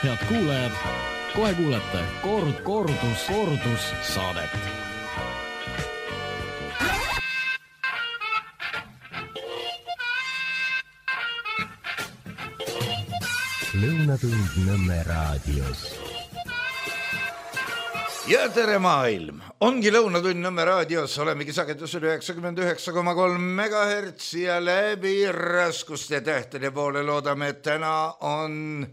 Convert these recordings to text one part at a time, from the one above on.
Head kuulajad, kohe kuulete kordus saadet. Lõunatund Nõmme raadios. Ja tere maailm! Ongi Lõunatund Nõmme raadios, olemegi sagedusel 99,3 MHz ja läbi raskuste tähtede poole loodame, et täna on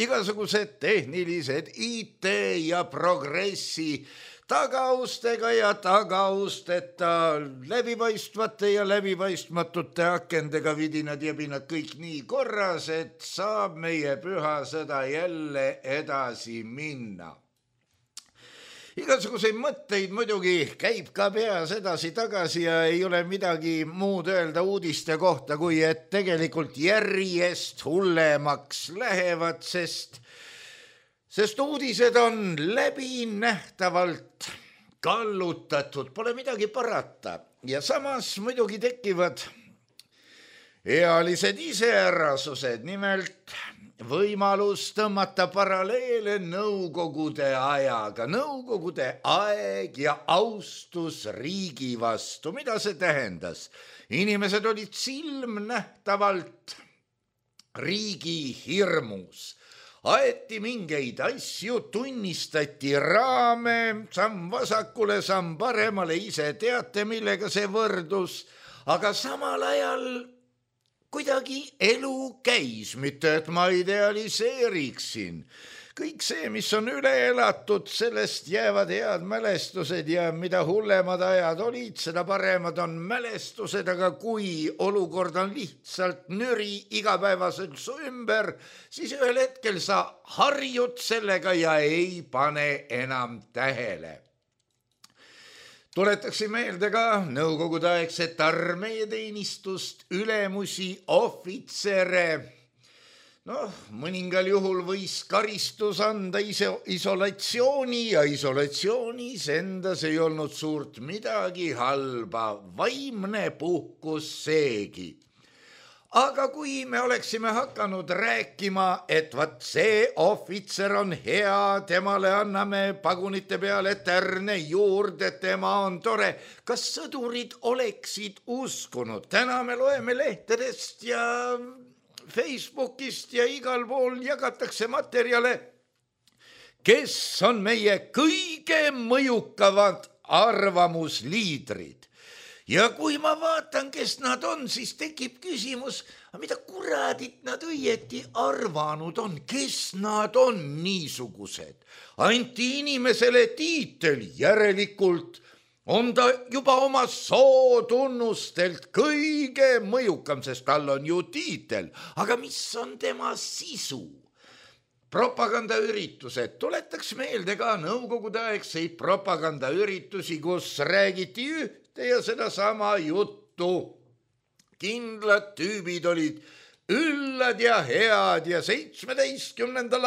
igasugused tehnilised IT ja progressi tagaustega ja tagausteta, läbipaistvate ja läbipaistmatute akendega vidinad ja pinad kõik nii korras, et saab meie püha sõda jälle edasi minna. Igasuguseid mõtteid muidugi käib ka peas edasi-tagasi ja ei ole midagi muud öelda uudiste kohta, kui et tegelikult järjest hullemaks lähevad, sest uudised on läbinähtavalt kallutatud, pole midagi parata. Ja samas muidugi tekivad ealised iseärasused, nimelt võimalus tõmmata paralleele nõukogude ajaga. Nõukogude aeg ja austus riigi vastu. Mida see tähendas? Inimesed olid silmnähtavalt riigi hirmus. Aeti mingeid asju, tunnistati raame, samm vasakule, samm paremale, ise teate, millega see võrdus, aga samal ajal kuidagi elu käis, mitte et ma idealiseeriksin. Kõik see, mis on üle elatud, sellest jäävad head mälestused ja mida hullemad ajad olid, seda paremad on mälestused, aga kui olukord on lihtsalt nüri igapäevaselt su ümber, siis ühel hetkel sa harjud sellega ja ei pane enam tähele. Tuletakse meelde ka nõukogude aegset armeeteenistust, ülemusi, ohvitsere. Mõningal juhul võis karistus anda isolatsiooni ja isolatsioonis endas ei olnud suurt midagi halba, vaimne puhkus seegi. Aga kui me oleksime hakanud rääkima, et vaat see ohvitser on hea, temale anname pagunite peale tärne juurde, tema on tore, kas sõdurid oleksid uskunud? Täna me loeme lehtedest ja Facebookist ja igal pool jagatakse materjale, kes on meie kõige mõjukavad arvamusliidrid. Ja kui ma vaatan, kes nad on, siis tekib küsimus, mida kuradit nad õieti arvanud on, kes nad on niisugused. Anti inimesele tiitel, järelikult on ta juba oma sootunnustelt kõige mõjukam, sest tal on ju tiitel. Aga mis on tema sisu? Propagandaüritused. Tuletaks meelde ka nõukogude aegseid propagandaüritusi, kus räägiti ühte ja sedasama juttu. Kindlad tüübid olid üllad ja head ja 17.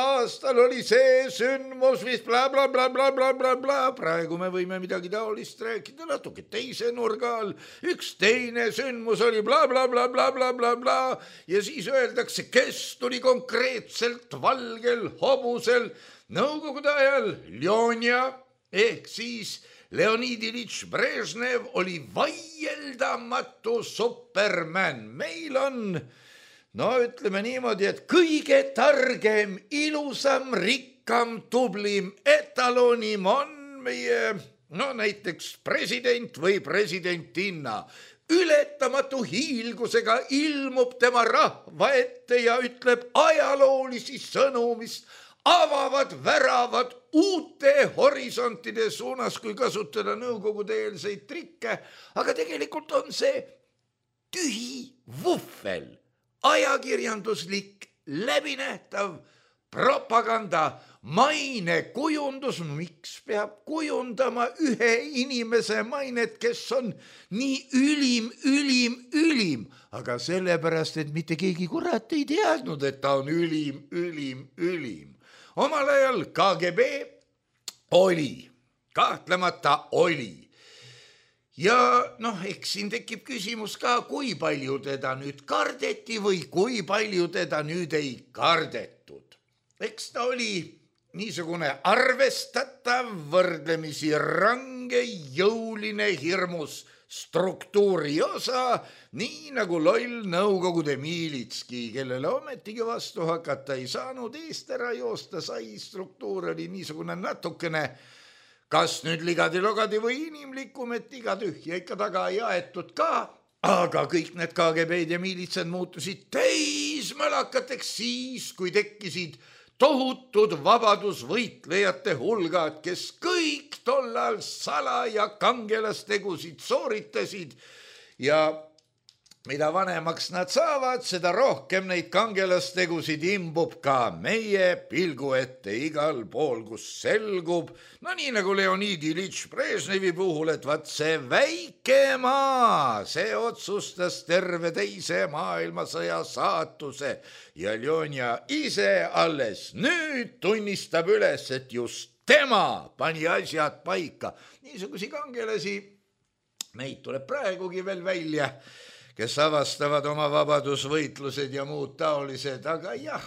aastal oli see sündmus, mis bla bla bla bla bla bla bla. Praegu me võime midagi taolist rääkida natuke teise nurga all. Üks teine sündmus oli bla bla bla bla bla bla bla ja siis öeldakse, kes tuli konkreetselt valgel hobusel nõukogude ajal. Ljonja ehk siis Leonid Ilitš Brežnev oli vaieldamatu superman. Meil on ütleme niimoodi, et kõige targem, ilusam, rikkam, tublim, etalonim on meie, näiteks president või presidentinna. Ületamatu hiilgusega ilmub tema rahva ette ja ütleb ajaloolisi sõnu, mis avavad väravad uute horisontide suunas, kui kasutada nõukogude-eelseid trikke. Aga tegelikult on see tühi vuhvel. Ajakirjanduslik, läbinähtav propaganda, mainekujundus. Miks peab kujundama ühe inimese mainet, kes on nii ülim? Aga sellepärast, et mitte keegi kurat ei teadnud, et ta on ülim. Omal ajal KGB oli, kahtlemata oli. Ja eks siin tekib küsimus ka, kui palju teda nüüd kardeti või kui palju teda nüüd ei kardetud. eks ta oli niisugune arvestatav, võrdlemisi range, jõuline, hirmus struktuuri osa, nii nagu loll Nõukogude miilitski, kellele ometigi vastu hakata ei saanud, eest ära joosta sai. Struktuur oli niisugune natukene, kas nüüd ligadi-logadi või inimlikum, et iga tühja ikka taga ei aetud ka, aga kõik need KGB-d ja miilitsad muutusid täismälakateks siis, kui tekkisid tohutud vabadusvõitlejate hulgad, kes kõik tollal salaja kangelastegusid sooritasid ja mida vanemaks nad saavad, seda rohkem neid kangelastegusid imbub ka meie pilgu ette igal pool, kus selgub, no nii nagu Leonid Ilitš Brežnevi puhul, et vaat see väike maa, see otsustas terve teise maailmasõja saatuse ja Ljonja ise alles nüüd tunnistab üles, et just tema pani asjad paika. Niisugusi kangelasi meid tuleb praegugi veel välja, kes avastavad oma vabadusvõitlused ja muud taolised, aga jah,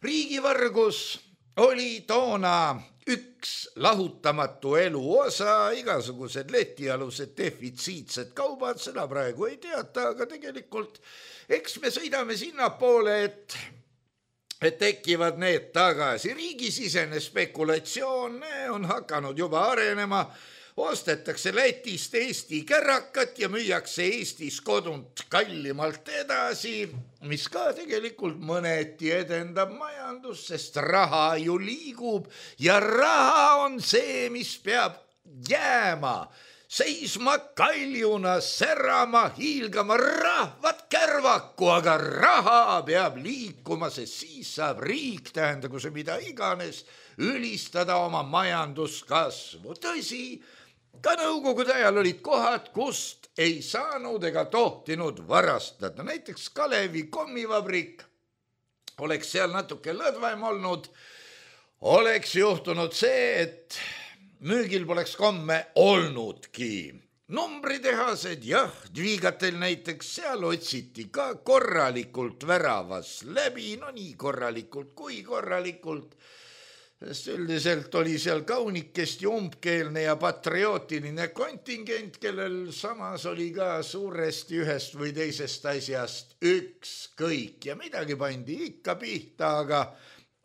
riigivargus oli toona üks lahutamatu elu osa, igasugused letialused defitsiitsed kaubad, seda praegu ei teata, aga tegelikult eks me sõidame sinnapoole, et tekivad need tagasi. Riigisisene spekulatsioon on hakanud juba arenema, ostetakse Lätist Eesti kärakat ja müüakse Eestis kodunt kallimalt edasi, mis ka tegelikult mõneti edendab majandust, sest raha ju liigub ja raha on see, mis peab jääma, seisma kaljuna, särama, hiilgama, rahvad kärvaku, aga raha peab liikuma, sest siis saab riik, tähendagu see mida iganes, ülistada oma majanduskasvu. Tõsi, ka Nõukogude ajal olid kohad, kust ei saanud ega tohtinud varastada. Näiteks Kalevi kommivabrik, oleks seal natuke lõdvaim olnud, oleks juhtunud see, et müügil poleks komme olnudki. Numbritehased, jah, Dvigatel näiteks, seal otsiti ka korralikult väravas läbi, no nii korralikult kui korralikult, sest üldiselt oli seal kaunikest ja umbkeelne ja patriootiline kontingent, kellel samas oli ka suuresti ühest või teisest asjast ükskõik ja midagi pandi ikka pihta, aga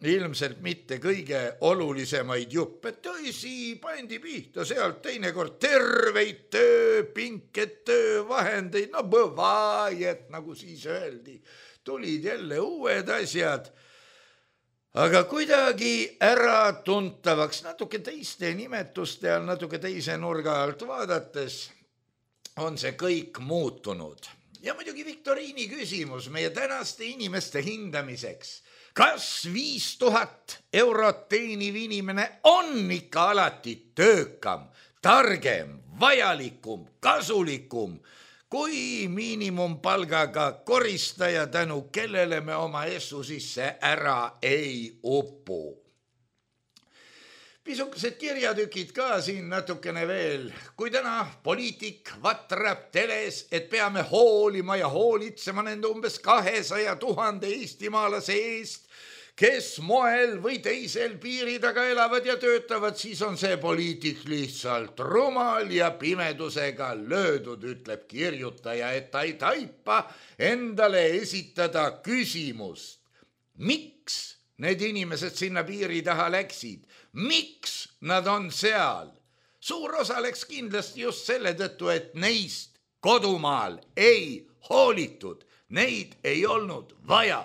ilmselt mitte kõige olulisemaid juppe. Tõsi, pandi pihta sealt teinekord terveid tööpinket, töövahendeid, no bõvajet, nagu siis öeldi, tulid jälle uued asjad, aga kuidagi äratuntavaks, natuke teiste nimetuste all, natuke teise nurga alt vaadates on see kõik muutunud. Ja muidugi viktoriini küsimus meie tänaste inimeste hindamiseks. Kas 5000 eurot teeniv inimene on ikka alati töökam, targem, vajalikum, kasulikum kui miinimumpalgaga koristaja, tänu kellele me oma essu sisse ära ei upu. Pisukesed kirjatükid ka siin natukene veel. Kui täna poliitik vatrab teles, et peame hoolima ja hoolitsema nende umbes 200 000 eestimaalase eest, kes moel või teisel piiri taga elavad ja töötavad, siis on see poliitik lihtsalt rumal ja pimedusega löödud, ütleb kirjutaja, et ta ei taipa endale esitada küsimust. Miks need inimesed sinna piiri taha läksid? Miks nad on seal? Suur osa läks kindlasti just selle tõttu, et neist kodumaal ei hoolitud, neid ei olnud vaja.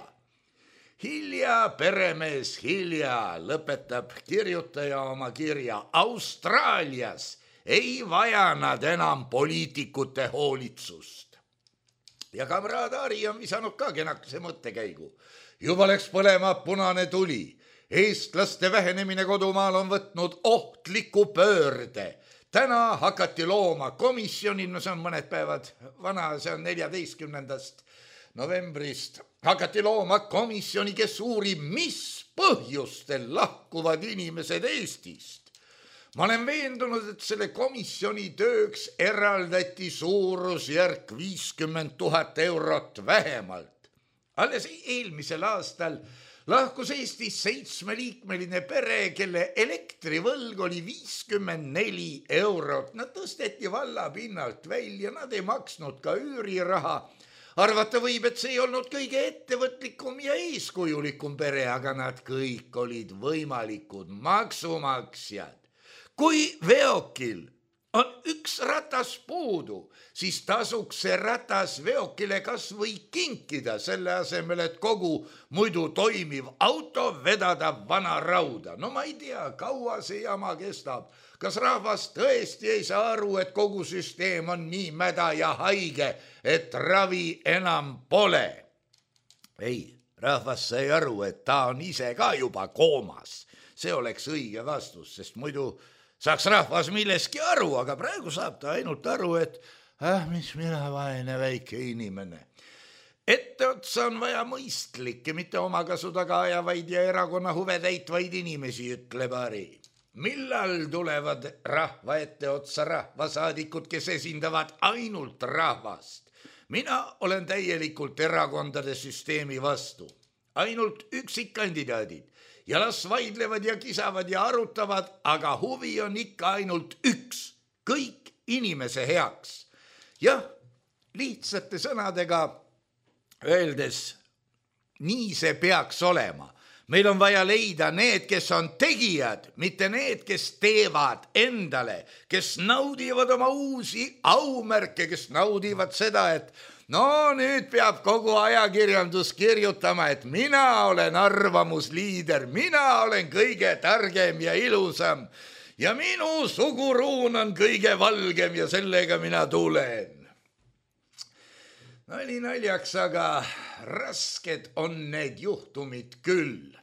Hilja, peremees hilja, lõpetab kirjutaja oma kirja. Austraalias ei vaja nad enam poliitikute hoolitsust. Ja kamraad Ari on visanud ka kenakese mõttekäigu. Juba läks põlema punane tuli. Eestlaste vähenemine kodumaal on võtnud ohtliku pöörde. Täna hakati looma komisjonid, no see on mõned päevad vana, see on 14. novembrist, hakati looma komisjoni, kes uurib, mis põhjustel lahkuvad inimesed Eestist. Ma olen veendunud, et selle komisjoni tööks eraldati suurusjärk 50 000 eurot vähemalt. Alles eelmisel aastal lahkus Eestis 7-liikmeline pere, kelle elektrivõlg oli 54 eurot. Nad tõsteti valla pinnalt välja, nad ei maksnud ka üüriraha. Arvata võib, et see ei olnud kõige ettevõtlikum ja eeskujulikum pere, aga nad kõik olid võimalikud maksumaksjad. Kui veokil on üks ratas puudu, siis tasuks see ratas veokile kas või kinkida selle asemel, et kogu muidu toimiv auto vedada vana rauda. No ma ei tea, kaua see jama kestab. Kas rahvas tõesti ei saa aru, et kogu süsteem on nii mäda ja haige, et ravi enam pole? Ei, rahvas sai aru, et ta on ise ka juba koomas. See oleks õige vastus, sest muidu saaks rahvas milleski aru, aga praegu saab ta ainult aru, et mis mina vaene väike inimene. Etteotsa on vaja mõistlikke, mitte omakasu taga ajavaid ja erakonna huve täitvaid inimesi, ütleb Ari. Millal tulevad rahva etteotsa rahvasaadikud, kes esindavad ainult rahvast? Mina olen täielikult erakondade süsteemi vastu. Ainult üksikkandidaadid. Ja las vaidlevad ja kisavad ja arutavad, aga huvi on ikka ainult üks, kõik inimese heaks. Jah, lihtsate sõnadega öeldes, nii see peaks olema. Meil on vaja leida need, kes on tegijad, mitte need, kes teevad endale, kes naudivad oma uusi aumärke, kes naudivad seda, et no nüüd peab kogu ajakirjandus kirjutama, et mina olen arvamusliider, mina olen kõige targem ja ilusam ja minu suguruun on kõige valgem ja sellega mina tulen. Nali naljaks, aga rasked on need juhtumid küll.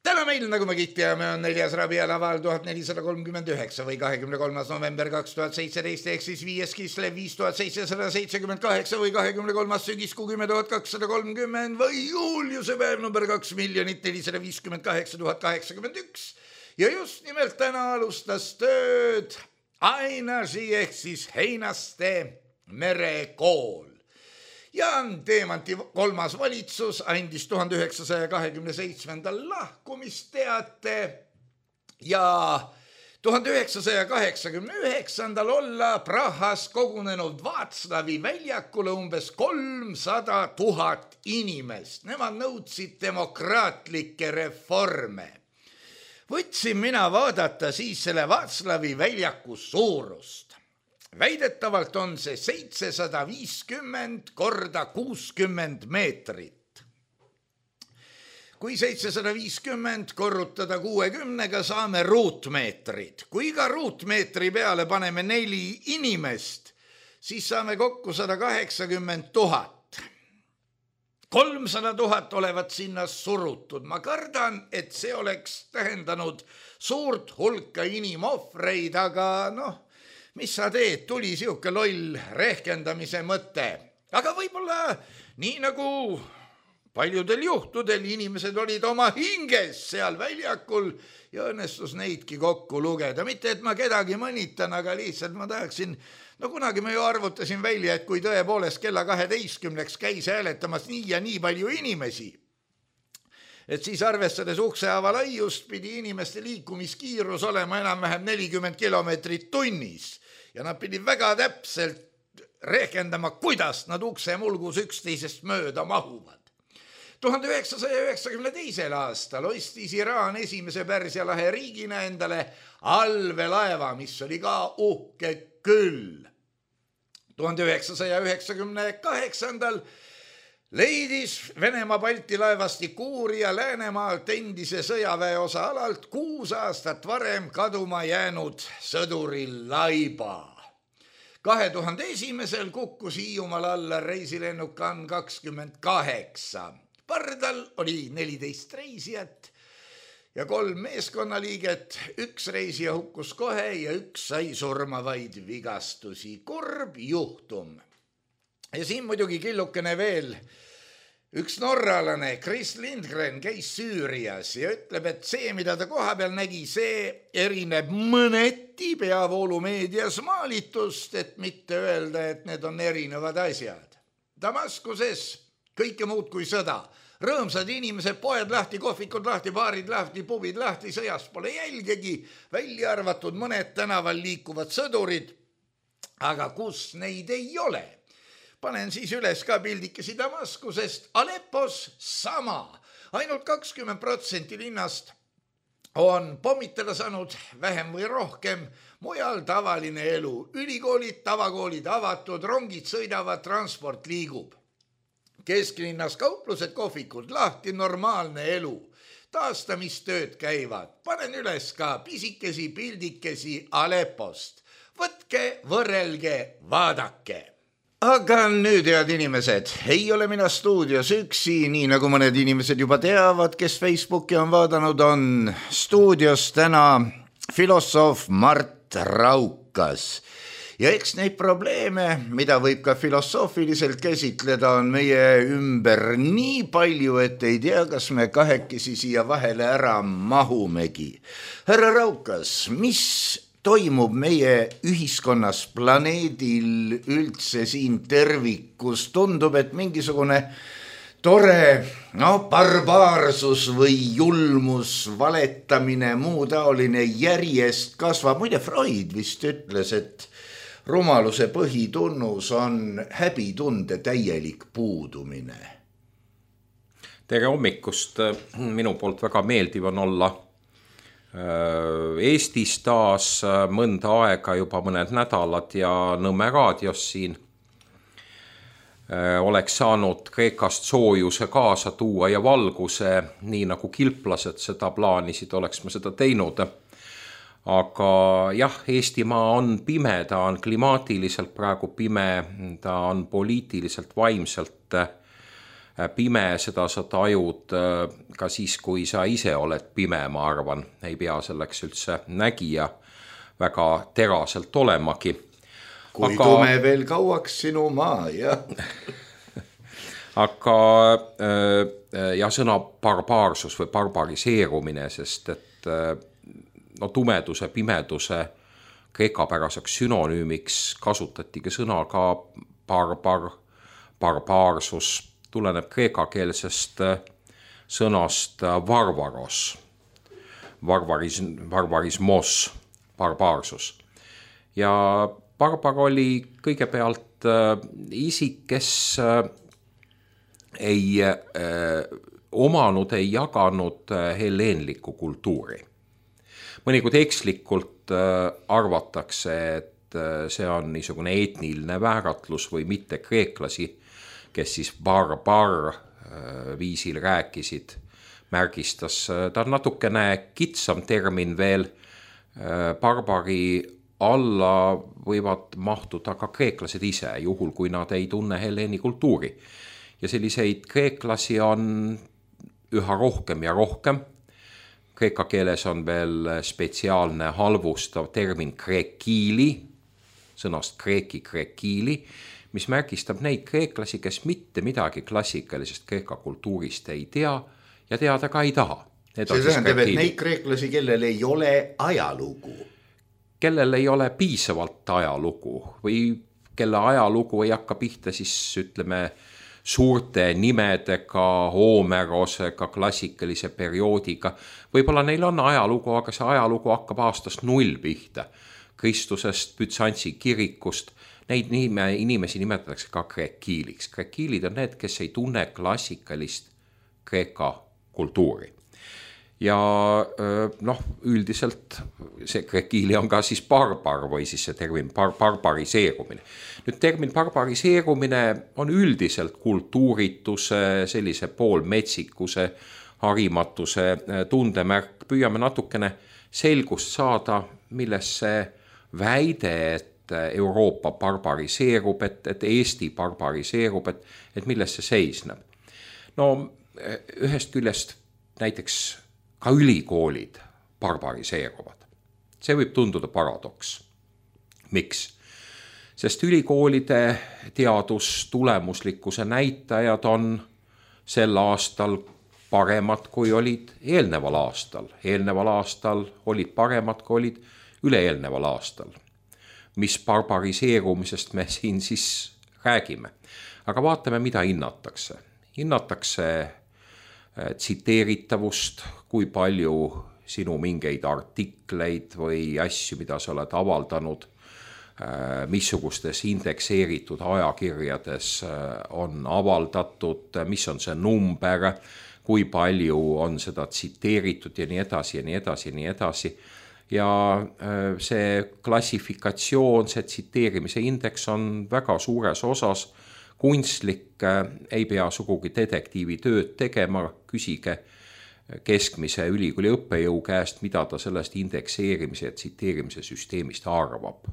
Täna meil, nagu me kõik teame, on 4. Rabiel aval 1439 või 23. november 2017 ehk siis 5. Kislev 5778 või 23. sügiskuu 10.230 või Juliuse päev number 2,458,081. Ja just nimelt täna alustas tööd Ainasi ehk siis Heinaste merekool. Jaan Teemanti 3. valitsus andis 1927. lahkumisteate ja 1989. olla Prahas kogunenud Vaatslavi väljakule umbes 300 000 inimest. Nemad nõudsid demokraatlikke reforme. Võtsin mina vaadata siis selle Vaatslavi väljaku suurust. Väidetavalt on see 750 korda 60 meetrit. Kui 750 korrutada 60-ga saame ruutmeetrid. Kui ka ruutmeetri peale paneme 4 inimest, siis saame kokku 180 000. 300 000 olevat sinna surutud. Ma kardan, et see oleks tähendanud suurt hulka inimohvreid, aga mis sa teed, tuli siuke loll rehkendamise mõte. Aga võib-olla nii nagu paljudel juhtudel inimesed olid oma hinges seal väljakul ja õnnestus neidki kokku lugeda. Mitte, et ma kedagi mõnitan, aga lihtsalt ma tahaksin, kunagi me ju arvutasin välja, et kui tõepoolest kella 12 käis hääletamas nii ja nii palju inimesi, et siis arvestades uksehaava laiust pidi inimeste liikumiskiirus olema enam-vähem 40 kilomeetrit tunnis ja nad pidid väga täpselt rehkendama, kuidas nad uksemulgus üksteisest mööda mahuvad. 1992. aastal ostis Iraan esimese Pärsia lahe riigina endale allveelaeva, mis oli ka uhke küll. 1998. leidis Venemaa Balti laevastik uurija Läänemaalt endise sõjaväeosa alalt 6 aastat varem kaduma jäänud sõduri laiba. 2001. kukkus Hiiumaal alla reisilennuk AN-28. Pardal oli 14 reisijat ja 3 meeskonnaliiget. 1 reisija hukkus kohe ja 1 sai surmavaid vigastusi. Kurb juhtum. Ja siin muidugi killukene veel. Üks norralane, Chris Lindgren, käis Süürias ja ütleb, et see, mida ta koha peal nägi, see erineb mõneti peavoolumeedias maalitust, et mitte öelda, et need on erinevad asjad. Damaskuses kõike muud kui sõda. Rõõmsad inimesed, poed lahti, kohvikud lahti, baarid lahti, pubid lahti, sõjast pole jälgegi, välja arvatud mõned tänaval liikuvad sõdurid. Aga kus neid ei ole? Panen siis üles ka pildikesi Damaskusest. Aleppos sama. Ainult 20% linnast on pommitada saanud vähem või rohkem, mujal tavaline elu. Ülikoolid, tavakoolid avatud, rongid sõidavad, transport liigub. Kesklinnas kauplused, kohvikud lahti, normaalne elu. Taastamistööd käivad. Panen üles ka pisikesi pildikesi Aleppost. Võtke, võrrelge, vaadake. Aga nüüd, head inimesed, ei ole mina stuudios üksi, nii nagu mõned inimesed juba teavad, kes Facebooki on vaadanud, on stuudios täna filosoof Mart Raukas. Ja eks neid probleeme, mida võib ka filosoofiliselt käsitleda, on meie ümber nii palju, et ei tea, kas me kahekesi siia vahele ära mahumegi. Härra Raukas, mis toimub meie ühiskonnas, planeedil üldse siin tervikus? Tundub, et mingisugune tore barbaarsus või julmus, valetamine, muu taoline järjest kasvab. Muide, Freud vist ütles, et rumaluse põhitunnus on häbitunde täielik puudumine. Tere hommikust, minu poolt väga meeldiv on olla Eestis taas mõnda aega, juba mõned nädalad ja Nõmme raadios siin. Oleks saanud Kreekast soojuse kaasa tuua ja valguse, nii nagu kilplased seda plaanisid, oleks ma seda teinud. Aga jah, Eestimaa on pime, ta on klimaatiliselt praegu pime, ta on poliitiliselt vaimselt pime, seda sa tajud ka siis, kui sa ise oled pime, ma arvan, ei pea selleks üldse nägija väga teraselt olemagi. Kui tume veel kauaks sinu maa, jah. Aga ja sõna barbaarsus või barbariseerumine, sest et tumeduse, pimeduse kreekapäraseks synonüümiks kasutatigi sõna ka barbaarsus, tuleneb kreekakeelsest sõnast varvaros, varvarismos, barbaarsus. Ja barbar oli kõigepealt isik, kes ei omanud, ei jaganud helleenlikku kultuuri. Mõnikord ekslikult arvatakse, et see on niisugune etniline vääratlus või mitte kreeklasi, kes siis barbar viisil rääkisid, märgistas. Ta on natukene kitsam termin veel. Barbari alla võivad mahtuda ka kreeklased ise, juhul kui nad ei tunne helleeni kultuuri. Ja selliseid kreeklasi on üha rohkem ja rohkem. Kreeka keeles on veel spetsiaalne halvustav termin krekiili, sõnast krekiili, mis märgistab neid kreeklasi, kes mitte midagi klassikalisest kreeka kultuurist ei tea ja teada ka ei taha. See tähendab, et neid kreeklasi, kellel ei ole ajalugu. Kellel ei ole piisavalt ajalugu või kelle ajalugu ei hakka pihta siis, ütleme, suurte nimedega, Homerosega, klassikalise perioodiga. Võib-olla neil on ajalugu, aga see ajalugu hakkab aastast 0 pihta. Kristusest, Bütsantsi kirikust. Neid inimesi nimetatakse ka krekiiliks. Krekiilid on need, kes ei tunne klassikalist kreeka kultuuri. Ja üldiselt see krekiili on ka siis barbar või siis see termin barbariseerumine. Nüüd termin barbariseerumine on üldiselt kultuurituse, sellise poolmetsikuse, harimatuse tundemärk. Püüame natukene selgust saada, milles see väide, et Euroopa barbariseerub, et Eesti barbariseerub, et milles see seisneb. No ühest küljest näiteks ka ülikoolid barbariseeruvad. See võib tunduda paradoks. Miks? Sest ülikoolide teadustulemuslikkuse näitajad on sel aastal paremad, kui olid eelneval aastal. Eelneval aastal olid paremad, kui olid üle-eelneval aastal. Mis barbariseerumisest me siin siis räägime? Aga vaatame, mida hinnatakse. hinnatakse tsiteeritavust, kui palju sinu mingeid artikleid või asju, mida sa oled avaldanud, missugustes indekseeritud ajakirjades on avaldatud, mis on see number, kui palju on seda tsiteeritud ja nii edasi ja nii edasi ja nii edasi. Ja see klassifikatsioon, see tsiteerimise indeks on väga suures osas kunstlik, ei pea sugugi detektiivi tööd tegema, küsige keskmise ülikooli õppejõu käest, mida ta sellest indekseerimise ja tsiteerimise süsteemist arvab.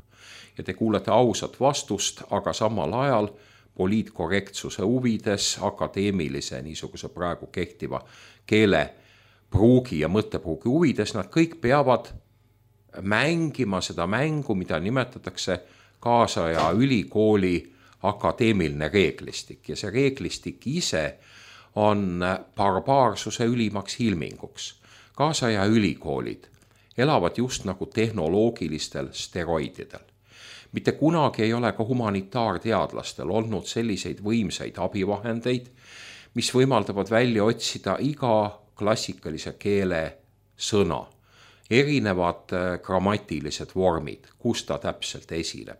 Ja te kuulete ausat vastust, aga samal ajal poliitkorrektsuse huvides, akadeemilise niisuguse praegu kehtiva keelepruugi ja mõttepruugi huvides, nad kõik peavad mängima seda mängu, mida nimetatakse kaasaja ülikooli akadeemiline reeglistik. Ja see reeglistik ise on barbaarsuse ülimaks ilminguks. Kaasaja ülikoolid elavad just nagu tehnoloogilistel steroididel. Mitte kunagi ei ole ka humanitaarteadlastel olnud selliseid võimsaid abivahendeid, mis võimaldavad välja otsida iga klassikalise keele sõna, erinevad grammatilised vormid, kus ta täpselt esineb.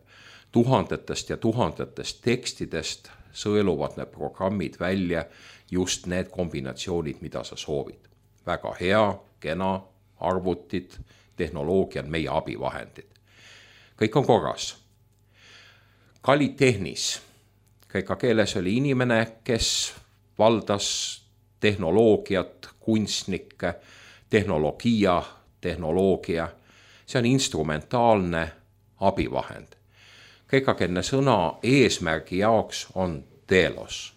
Tuhandetest ja tuhandetest tekstidest sõeluvad need programmid välja just need kombinatsioonid, mida sa soovid. Väga hea, kena, arvutid, tehnoloogia on meie abivahendid. Kõik on korras. Kali Tehnis, kreeka keeles oli inimene, kes valdas tehnoloogiat, kunstnikke, tehnoloogia. See on instrumentaalne abivahend. Kreekakeelne sõna eesmärgi jaoks on telos.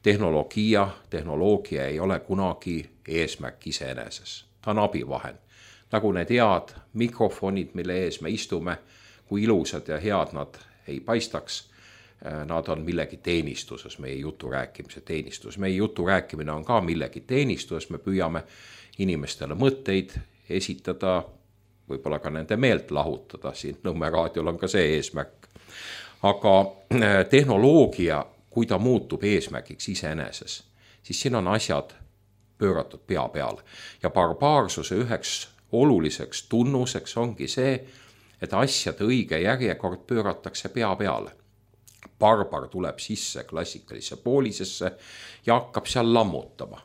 Tehnoloogia ei ole kunagi eesmärk iseeneses. Ta on abivahend. Nagu need head mikrofonid, mille ees me istume, kui ilusad ja head nad ei paistaks, nad on millegi teenistuses, meie jutu rääkimise teenistus. Meie jutu rääkimine on ka millegi teenistuses, me püüame inimestele mõtteid esitada, võib-olla ka nende meelt lahutada, siin Nõmme raadiol on ka see eesmärk. Aga tehnoloogia, kui ta muutub eesmärgiks iseeneses, siis siin on asjad pööratud pea peale. Ja barbaarsuse üheks oluliseks tunnuseks ongi see, et asjade õige järjekord pööratakse pea peale. Barbar tuleb sisse klassikalisse poolisesse ja hakkab seal lammutama.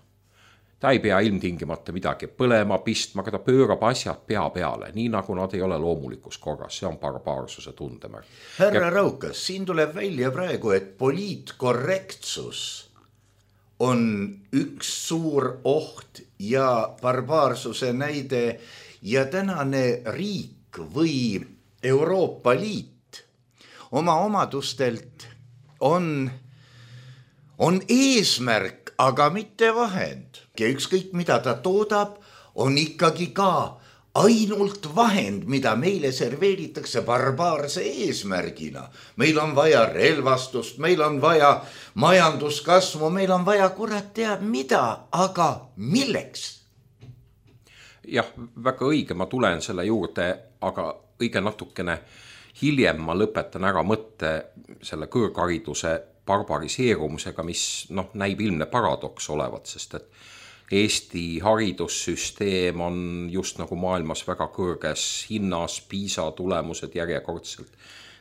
Ta ei pea ilmtingimata midagi põlema, pistma, aga ta pöörab asjad pea peale, nii nagu nad ei ole loomulikus korras. See on barbaarsuse tundemärk. Härra Raukas, siin tuleb välja praegu, et poliitkorrektsus on üks suur oht ja barbaarsuse näide ja tänane riik või Euroopa Liit oma omadustelt on eesmärk, aga mitte vahend. Ja ükskõik mida ta toodab, on ikkagi ka ainult vahend, mida meile serveeritakse barbaarse eesmärgina. Meil on vaja relvastust, meil on vaja majanduskasvu, meil on vaja kurat teab mida, aga milleks? Jah, väga õige, ma tulen selle juurde, aga õige natukene hiljem ma lõpetan ära mõtte selle kõrghariduse barbariseerumusega, mis näib ilmne paradoks olevat, sest et Eesti haridussüsteem on just nagu maailmas väga kõrges hinnas, PISA tulemused järjekordselt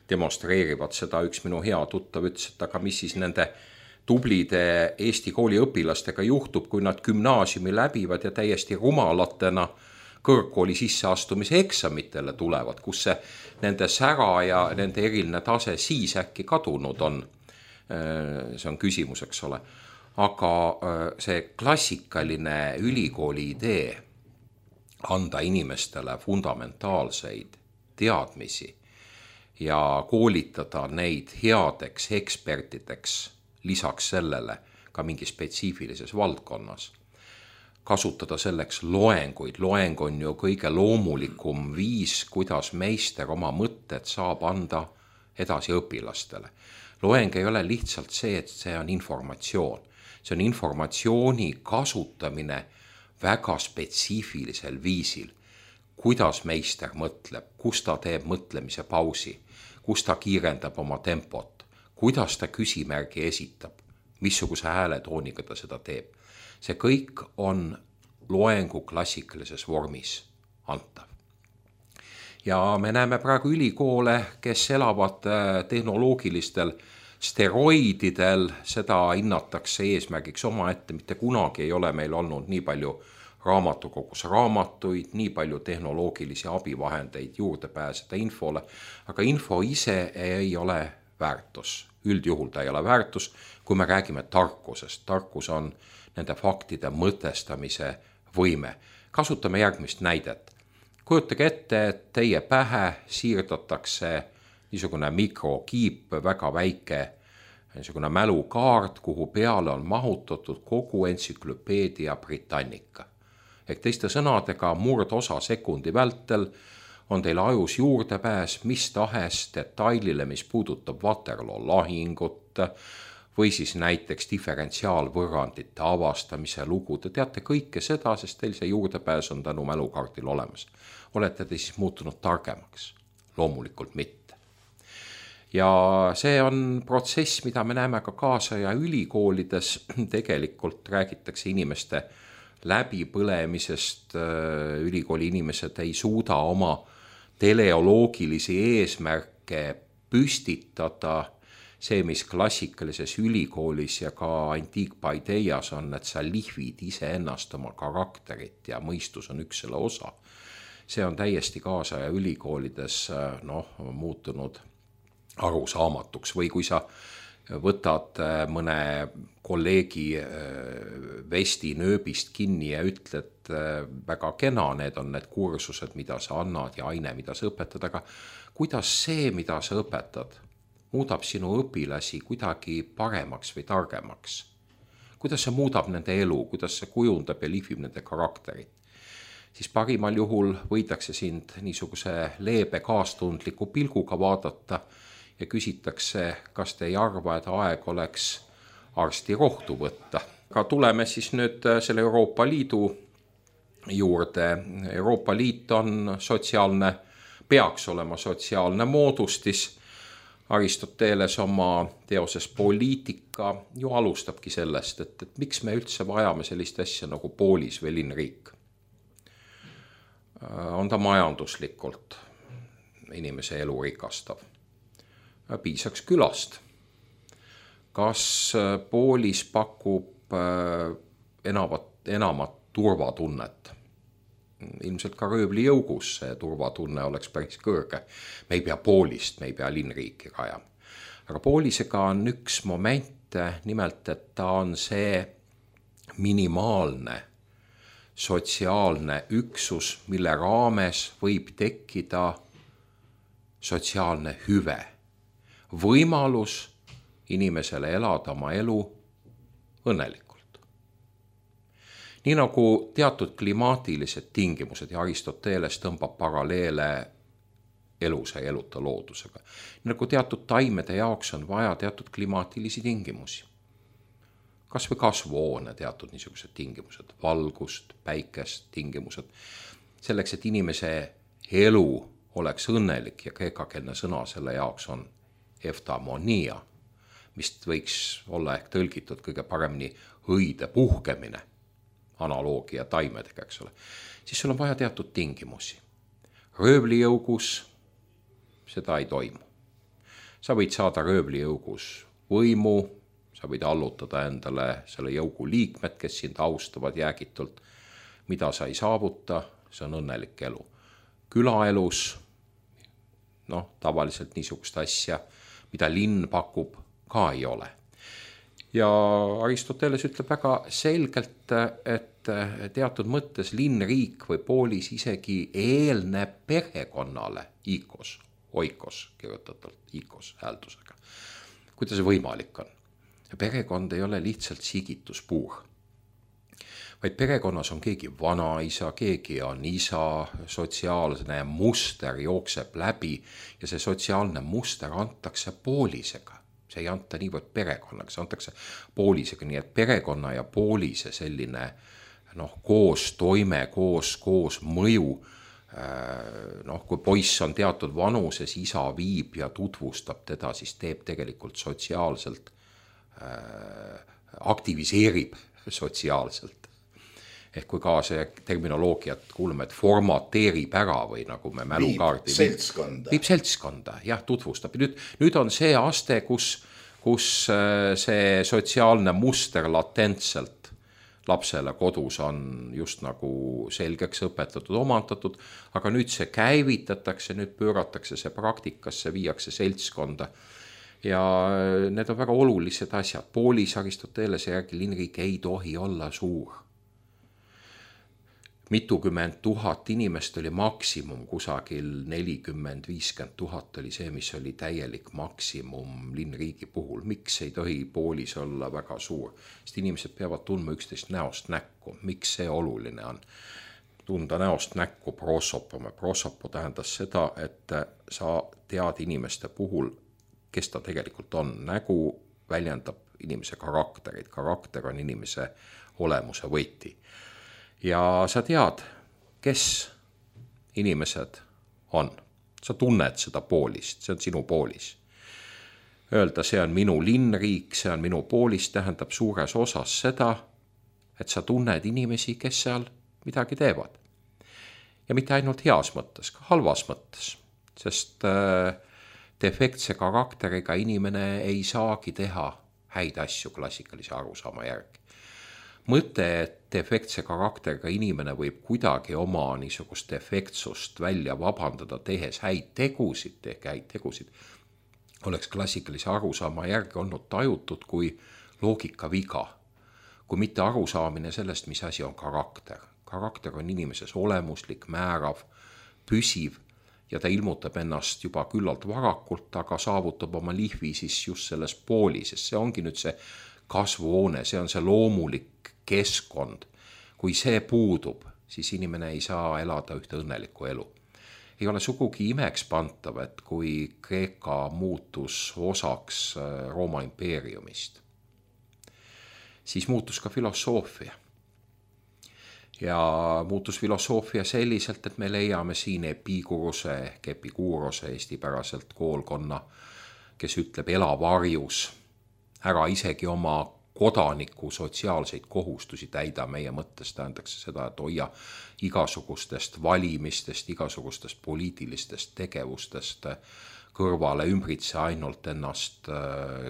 demonstreerivad seda. Üks minu hea tuttav ütles, et aga mis siis nende tublide Eesti kooli õpilastega juhtub, kui nad gümnaasiumi läbivad ja täiesti rumalatena kõrgkooli sisseastumise eksamitele tulevad, kus see nende sära ja nende eriline tase siis äkki kadunud on. See on küsimus, eks ole. Aga see klassikaline ülikooli idee anda inimestele fundamentaalseid teadmisi ja koolitada neid headeks ekspertideks lisaks sellele ka mingi spetsiifilises valdkonnas. Kasutada selleks loenguid. Loeng on ju kõige loomulikum viis, kuidas meister oma mõtted saab anda edasi õpilastele. Loeng ei ole lihtsalt see, et see on informatsioon. See on informatsiooni kasutamine väga spetsiifilisel viisil. Kuidas meister mõtleb, kus ta teeb mõtlemise pausi, kus ta kiirendab oma tempot, kuidas ta küsimärgi esitab, missuguse hääletooniga ta seda teeb. See kõik on loengu klassikalises vormis antav. Ja me näeme praegu ülikoole, kes elavad tehnoloogilistel steroididel, seda hinnatakse eesmärgiks omaette, mitte kunagi ei ole meil olnud nii palju raamatukogus raamatuid, nii palju tehnoloogilisi abivahendeid juurde pääseda infole, aga info ise ei ole väärtus. Üldjuhul ta ei ole väärtus, kui me räägime tarkusest. Tarkus on nende faktide mõtestamise võime. Kasutame järgmist näidet. Kujutage ette, et teie pähe siirdatakse niisugune mikrokiip, väga väike niisugune mälukaart, kuhu peale on mahutatud kogu entsüklopeedia Britannica. Ehk teiste sõnadega murdosa sekundi vältel on teil ajus juurdepääs mis tahes detailile, mis puudutab Waterloo lahingut või siis näiteks diferentsiaalvõrrandite avastamise lugu. Te teate kõike seda, sest teil see juurdepääs on tänu mälukaardil olemas. Olete te siis muutunud targemaks? Loomulikult mitte. Ja see on protsess, mida me näeme ka kaasaja ülikoolides. Tegelikult räägitakse inimeste läbipõlemisest. Ülikooli inimesed ei suuda oma teleoloogilisi eesmärke püstitada. See, mis klassikalises ülikoolis ja ka antiikpaideias on, et sa lihvid iseennast oma karakterit ja mõistus on üks selle osa. See on täiesti kaasaja ülikoolides muutunud arusaamatuks. Või kui sa võtad mõne kolleegi vesti nööbist kinni ja ütled väga kena, need on need kursused, mida sa annad ja aine, mida sa õpetad, aga kuidas see, mida sa õpetad, muudab sinu õpilasi kuidagi paremaks või targemaks? Kuidas see muudab nende elu, kuidas see kujundab ja lihvib nende karakterit? Siis parimal juhul võidakse sind niisuguse leebe kaastundliku pilguga vaadata ja küsitakse, kas te ei arva, et aeg oleks arsti rohtu võtta. Aga tuleme siis nüüd selle Euroopa Liidu juurde. Euroopa Liit on sotsiaalne, peaks olema sotsiaalne moodustis. Aristoteles oma teoses Poliitika ju alustabki sellest, et miks me üldse vajame sellist asja nagu poolis või linnriik. On ta majanduslikult inimese elu rikastav. Piisaks külast. Kas poolis pakub enamat turvatunnet? Ilmselt ka röövlijõugus see turvatunne oleks päris kõrge. Me ei pea poolist, me ei pea linnriiki rajama. Aga poolisega on üks moment, nimelt, et ta on see minimaalne sotsiaalne üksus, mille raames võib tekkida sotsiaalne hüve. Võimalus inimesele elada oma elu õnnelikult. Nii nagu teatud klimaatilised tingimused ja Aristoteles tõmbab paralleele elusa ja eluta loodusega. Nii nagu teatud taimede jaoks on vaja teatud klimaatilisi tingimusi. Kas või kasvuhoone teatud niisugused tingimused, valgust, päikest tingimused. Selleks, et inimese elu oleks õnnelik ja kreekakeelne sõna selle jaoks on eftamonia, mis võiks olla ehk tõlgitud kõige paremini õide puhkemine, analoogia taimedega, eks ole, siis sul on vaja teatud tingimusi. Röövlijõugus seda ei toimu. Sa võid saada röövlijõugus võimu, sa võid allutada endale selle jõugu liikmed, kes sind austavad jäägitult. Mida sa ei saavuta, see on õnnelik elu. Külaelus, tavaliselt niisugust asja, mida linn pakub, ka ei ole. Ja Aristoteles ütleb väga selgelt, et teatud mõttes linnriik või poolis isegi eelneb perekonnale, oikos kirjutatult, ikos hääldusega. Kuidas see võimalik on? Perekond ei ole lihtsalt sigituspuur, vaid perekonnas on keegi vanaisa, keegi on isa, sotsiaalne muster jookseb läbi ja see sotsiaalne muster antakse poolisega. See ei anta niivõrd perekonnaga, see antakse poolisega, nii et perekonna ja poolise selline koos toime, koos mõju. Kui poiss on teatud vanuses, isa viib ja tutvustab teda, siis teeb tegelikult sotsiaalselt aktiviseerib sotsiaalselt. Ehk kui ka see terminoloogiat kuuleme, et formateerib ära või nagu me mälukaardi viib seltskonda, jah, tutvustab. Nüüd on see aste, kus see sotsiaalne muster latentselt lapsele kodus on just nagu selgeks õpetatud, omandatud, aga nüüd see käivitatakse, nüüd pööratakse see praktikasse, viiakse seltskonda. Ja need on väga olulised asjad. Poolis Aristotelese järgi linnriik ei tohi olla suur. Mitukümmend tuhat inimest oli maksimum, kusagil 40-50 tuhat oli see, mis oli täielik maksimum linnriigi puhul. Miks ei tohi Poolis olla väga suur? Sest inimesed peavad tundma üksteist näost näkku. Miks see oluline on? Tunda näost näkku prosopo. Prosopo tähendas seda, et sa tead inimeste puhul, kes ta tegelikult on. Nägu väljendab inimese karakterit. Karakter on inimese olemuse võti. Ja sa tead, kes inimesed on. Sa tunned seda poolist, see on sinu poolis. Öelda, see on minu linnriik, see on minu poolis, tähendab suures osas seda, et sa tunned inimesi, kes seal midagi teevad. Ja mitte ainult heas mõttes, ka halvas mõttes, sest defektse karakteriga inimene ei saagi teha häid asju klassikalise arusaama järgi. Mõte, et defektse karakteriga inimene võib kuidagi oma niisugust defektsust välja vabandada, tehes häid tegusid, oleks klassikalise arusaama järgi olnud tajutud kui loogika viga, kui mitte arusaamine sellest, mis asi on karakter. Karakter on inimeses olemuslik, määrav, püsiv ja ta ilmutab ennast juba küllalt varakult, aga saavutab oma lihvi siis just selles poolis, sest see ongi nüüd see kasvuhoone, see on see loomulik keskkond. Kui see puudub, siis inimene ei saa elada ühte õnnelikku elu. Ei ole sugugi imeks pantav, et kui Kreeka muutus osaks Rooma impeeriumist, siis muutus ka filosoofia. Ja muutus filosoofia selliselt, et me leiame siin Epiguruse ehk Epikuurose eestipäraselt koolkonna, kes ütleb ela varjus, ära isegi oma kodaniku sotsiaalseid kohustusi täida. Meie mõttes tähendaks seda, et hoia igasugustest valimistest, igasugustest poliitilistest tegevustest kõrvale, ümbritse ainult ennast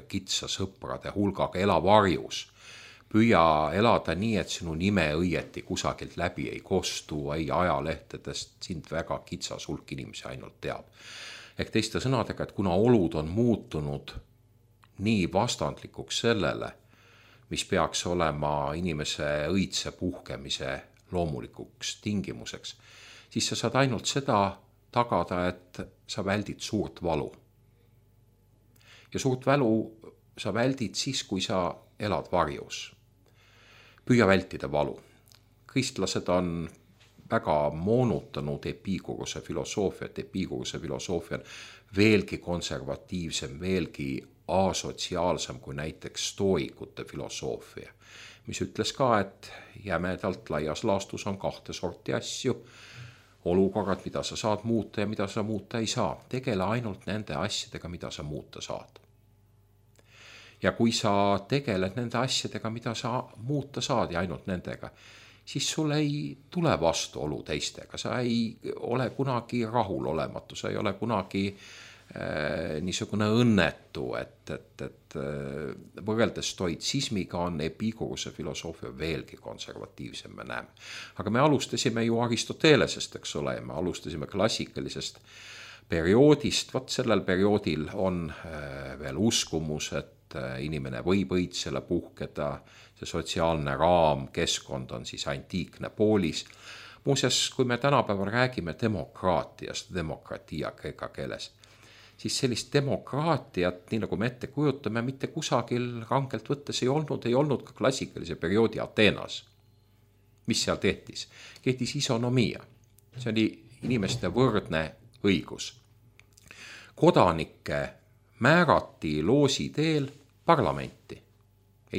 kitsa sõprade hulgaga, ela varjus. Püüa elada nii, et sinu nime õieti kusagilt läbi ei kostu, ei ajalehtedest, sind väga kitsas hulk inimesi ainult teab. Ehk teiste sõnadega, et kuna olud on muutunud nii vastandlikuks sellele, mis peaks olema inimese õitse puhkemise loomulikuks tingimuseks, siis sa saad ainult seda tagada, et sa väldid suurt valu. Ja suurt valu sa väldid siis, kui sa elad varjus. Püüa vältida valu. Kristlased on väga moonutanud Epiguruse filosoofiat. Epiguruse filosoofia on veelgi konservatiivsem, veelgi asotsiaalsem kui näiteks stoikute filosoofia, mis ütles ka, et jämedalt laias laastus on kahte sorti asju, olukorrad, mida sa saad muuta ja mida sa muuta ei saa. Tegele ainult nende asjadega, mida sa muuta saad. Ja kui sa tegeled nende asjadega, mida sa muuta saad ja ainult nendega, siis sul ei tule vastuolu teistega, sa ei ole kunagi rahul olematu, sa ei ole kunagi niisugune õnnetu, et võrreldes stoitsismiga on Epiguruse filosoofia veelgi konservatiivsem, me näeme. Aga me alustasime ju Aristotelesest, eks ole, me alustasime klassikalisest perioodist. Vaat sellel perioodil on veel uskumus, et inimene võib õitsele puhkeda, see sotsiaalne raam, keskkond on siis antiikne poolis. Muuseas, kui me tänapäeval räägime demokraatiast, demokratia kreeka keeles, siis sellist demokraatiat, nii nagu me ette kujutame, mitte kusagil rangelt võttes ei olnud ka klassikalise perioodi Ateenas. Mis seal tehtis? Kehtis isonomia. See oli inimeste võrdne õigus. Kodanikke määrati loosi teel parlamenti.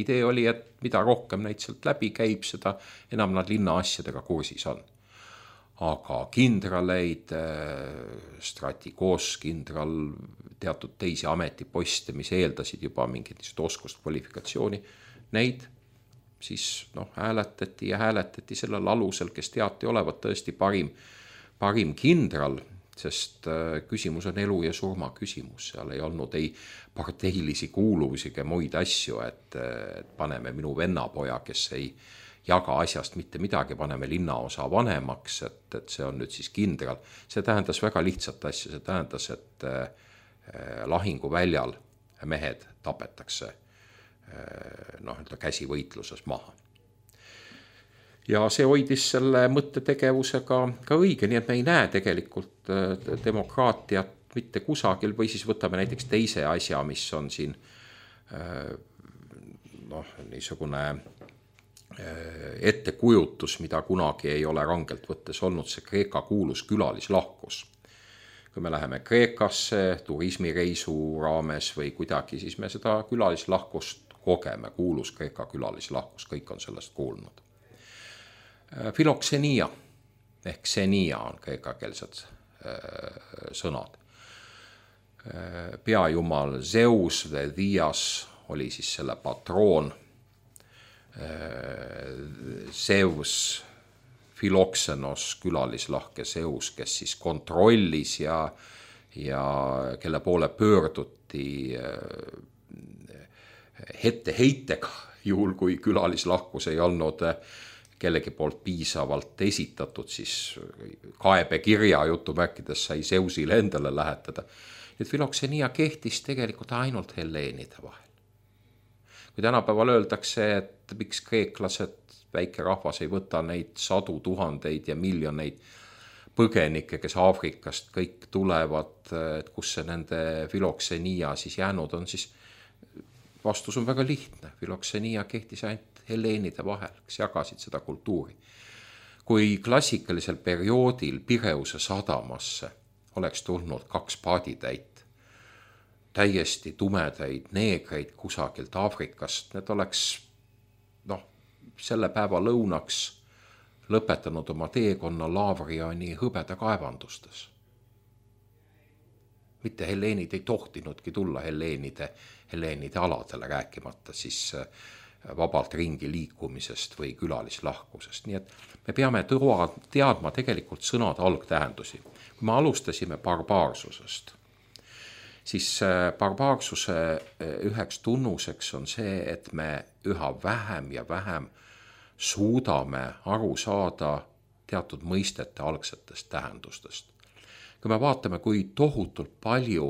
Idee oli, et mida rohkem neid sealt läbi käib, seda enam nad linna asjadega kursis on. Aga kindraleid, stratigos, kindral, teatud teisi ametiposte, mis eeldasid juba mingit oskust kvalifikatsiooni, neid siis hääletati ja hääletati sellel alusel, kes teati olevat tõesti parim kindral, sest küsimus on elu ja surma küsimus, seal ei olnud ei parteilisi kuuluvusi ega muid asju, et paneme minu vennapoja, kes ei jaga asjast mitte midagi, paneme linnaosa vanemaks, et see on nüüd siis kindral. See tähendas väga lihtsat asja, see tähendas, et lahinguväljal mehed tapetakse käsivõitluses maha. Ja see hoidis selle mõttetegevusega ka õige, nii et me ei näe tegelikult demokraatiat mitte kusagil, või siis võtame näiteks teise asja, mis on siin niisugune ettekujutus, mida kunagi ei ole rangelt võttes olnud, see Kreeka kuulus külalislahkus. Kui me läheme Kreekasse turismireisu raames või kuidagi, siis me seda külalislahkust kogeme, kuulus Kreeka külalislahkus, kõik on sellest kuulnud. Filoksenia ehk ksenia on kreekakeelsed sõnad. Peajumal Zeus või Dias oli siis selle patroon. Zeus, Filoksenos, külalislahke Zeus, kes siis kontrollis ja kelle poole pöörduti heitega, juhul kui külalislahkus ei olnud kellegi poolt piisavalt esitatud, siis kaebekirja jutumärkides sai Zeusile endale lähetada. Nüüd filoksenia kehtis tegelikult ainult helleenide vahel. Kui tänapäeval öeldakse, et miks kreeklased, väike rahvas ei võta neid sadu tuhandeid ja miljoneid põgenikke, kes Aafrikast kõik tulevad, et kus see nende filoksenia siis jäänud on, siis vastus on väga lihtne. Filoksenia kehtis ainult helleenide vahel, kes jagasid seda kultuuri. Kui klassikalisel perioodil Pireuse sadamasse oleks tulnud 2 paaditäit, täiesti tumedaid neegreid kusagilt Aafrikast, need oleks selle päeva lõunaks lõpetanud oma teekonna Lavrioni hõbeda kaevandustes. Mitte helleenid ei tohtinudki tulla helleenide aladele, rääkimata siis vabalt ringi liikumisest või külalislahkusest. Nii et me peame teadma tegelikult sõnade algtähendusi. Kui me alustasime barbaarsusest, siis barbaarsuse üheks tunnuseks on see, et me üha vähem ja vähem suudame aru saada teatud mõistete algsetest tähendustest. Kui me vaatame, kui tohutult palju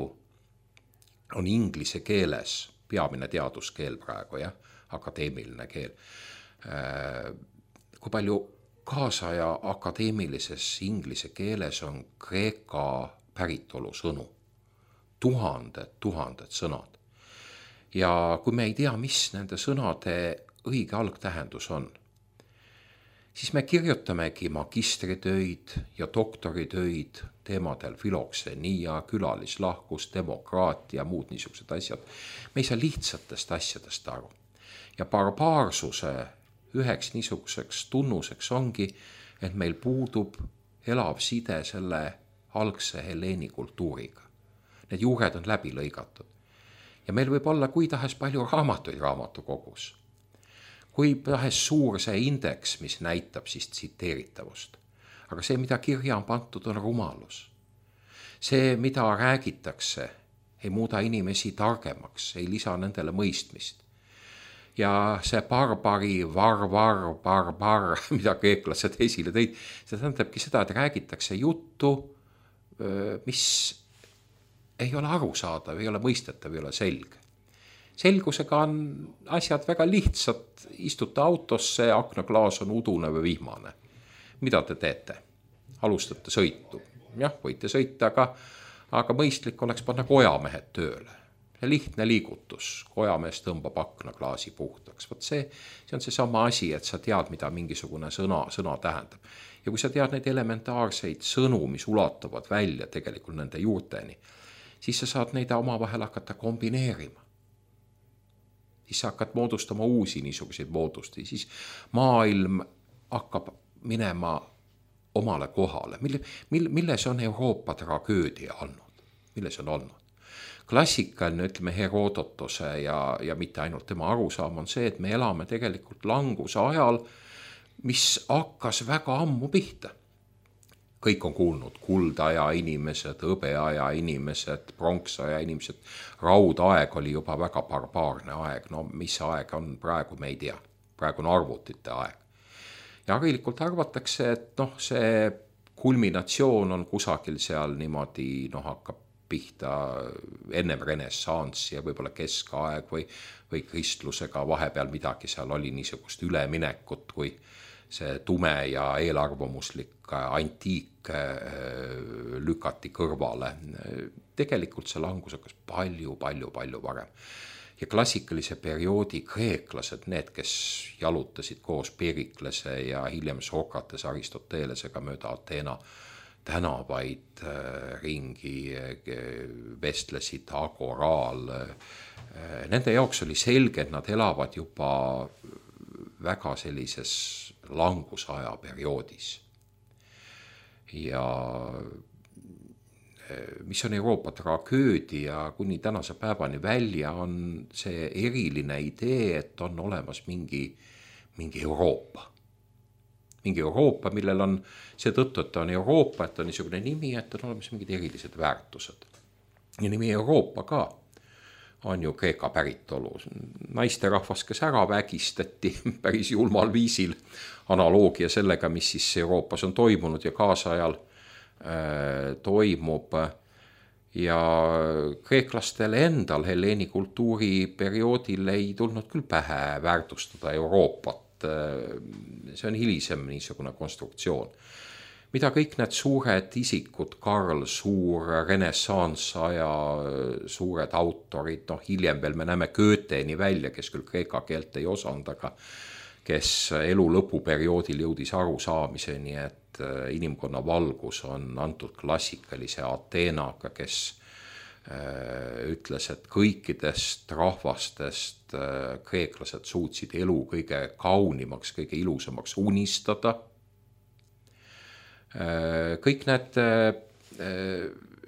on inglise keeles, peamine teaduskeel praegu, akadeemiline keel, kui palju kaasaja akadeemilises inglise keeles on kreeka päritolu sõnu. Tuhanded sõnad. Ja kui me ei tea, mis nende sõnade õige algtähendus on, siis me kirjutamegi magistritöid ja doktoritöid teemadel filoksenia, külalislahkus, demokraatia, muud niisugused asjad. Me ei saa lihtsatest asjadest aru. Ja barbaarsuse üheks niisuguseks tunnuseks ongi, et meil puudub elav side selle algse helleeni kultuuriga. Need juured on läbi lõigatud. Ja meil võib olla kui tahes palju raamatuid raamatukogus. Kui tahes suur see indeks, mis näitab siis tsiteeritavust. Aga see, mida kirja on pandud, on rumalus. See, mida räägitakse, ei muuda inimesi targemaks, ei lisa nendele mõistmist. Ja see barbari, barbar, mida kreeklased esile tõid, see tähendabki seda, et räägitakse juttu, mis ei ole arusaadav, ei ole mõistetav, ei ole selge. Selgusega on asjad väga lihtsad, istute autosse, aknaklaas on udune või vihmane. Mida te teete? Alustate sõitu. Jah, võite sõita, aga mõistlik oleks panna kojamehed tööle. Ja lihtne liigutus, kojamees tõmbab aknaklaasi puhtaks. Võt see on see sama asi, et sa tead, mida mingisugune sõna tähendab. Ja kui sa tead neid elementaarseid sõnu, mis ulatuvad välja tegelikult nende juurteni, siis sa saad neid omavahel hakata kombineerima. Siis sa hakkad moodustama uusi niisuguseid moodusti, siis maailm hakkab minema omale kohale. Milles on Euroopa tragöödia olnud? Milles on olnud? Klassikaline, ütleme, Herodotuse ja mitte ainult tema arusaam on see, et me elame tegelikult languse ajal, mis hakkas väga ammu pihta. Kõik on kuulnud kuldaja inimesed, hõbeaja inimesed, pronksaja inimesed, raudaeg oli juba väga barbaarne aeg, no mis aeg on praegu, me ei tea, praegu on arvutite aeg. Ja harilikult arvatakse, et see kulminatsioon on kusagil seal niimoodi, hakkab pihta ennem renessanssi ja võib-olla keskaeg või kristlusega vahepeal midagi seal oli niisugust üleminekut, kui see tume ja eelarvamuslik antiik lükati kõrvale. Tegelikult see langus hakkas palju varem. Ja klassikalise perioodi kreeklased, need, kes jalutasid koos Periklase ja hiljem Sokrates Aristotelesega mööda Ateena tänavaid ringi, vestlesid agoraal. Nende jaoks oli selge, et nad elavad juba väga sellises langusaja perioodis. Ja mis on Euroopa tragöödia kuni tänase päevani välja, on see eriline idee, et on olemas mingi Euroopa. Mingi Euroopa, millel on seetõttu, et on Euroopa, et on niisugune nimi, et on olemas mingid erilised väärtused. Ja nimi Euroopa ka on ju Kreeka päritolu. Naisterahvas, kes ära vägistati päris julmal viisil, analoogia sellega, mis siis Euroopas on toimunud ja kaasajal toimub. Ja kreeklastele endal Helleeni kultuuri perioodil ei tulnud küll pähe väärtustada Euroopat. See on hilisem niisugune konstruktsioon. Mida kõik need suured isikud, Karl Suur, renessansaja suured autorid, hiljem veel me näeme Goetheni välja, kes küll kreeka keelt ei osanud, aga kes elu lõpuperioodil jõudis arusaamiseni, et inimkonna valgus on antud klassikalise Ateenaga, kes ütles, et kõikidest rahvastest kreeklased suutsid elu kõige kaunimaks, kõige ilusamaks unistada. Kõik need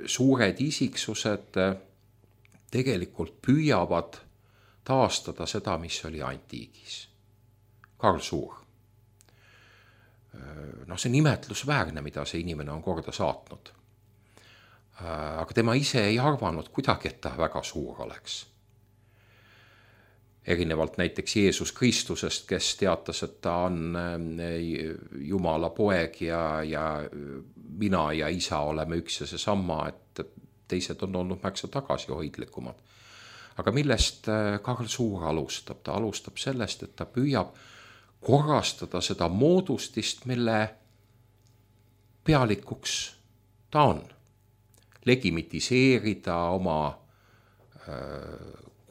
suured isiksused tegelikult püüavad taastada seda, mis oli antiigis. Karl Suur. See nimetlusväärne, mida see inimene on korda saatnud. Aga tema ise ei arvanud kuidagi, et ta väga suur oleks. Erinevalt näiteks Jeesus Kristusest, kes teatas, et ta on Jumala poeg ja mina ja isa oleme üks ja seesama, et teised on olnud märksa tagasihoidlikumad. Aga millest Karl Suur alustab? Ta alustab sellest, et ta püüab korrastada seda moodustist, mille pealikuks ta on. Legimitiseerida oma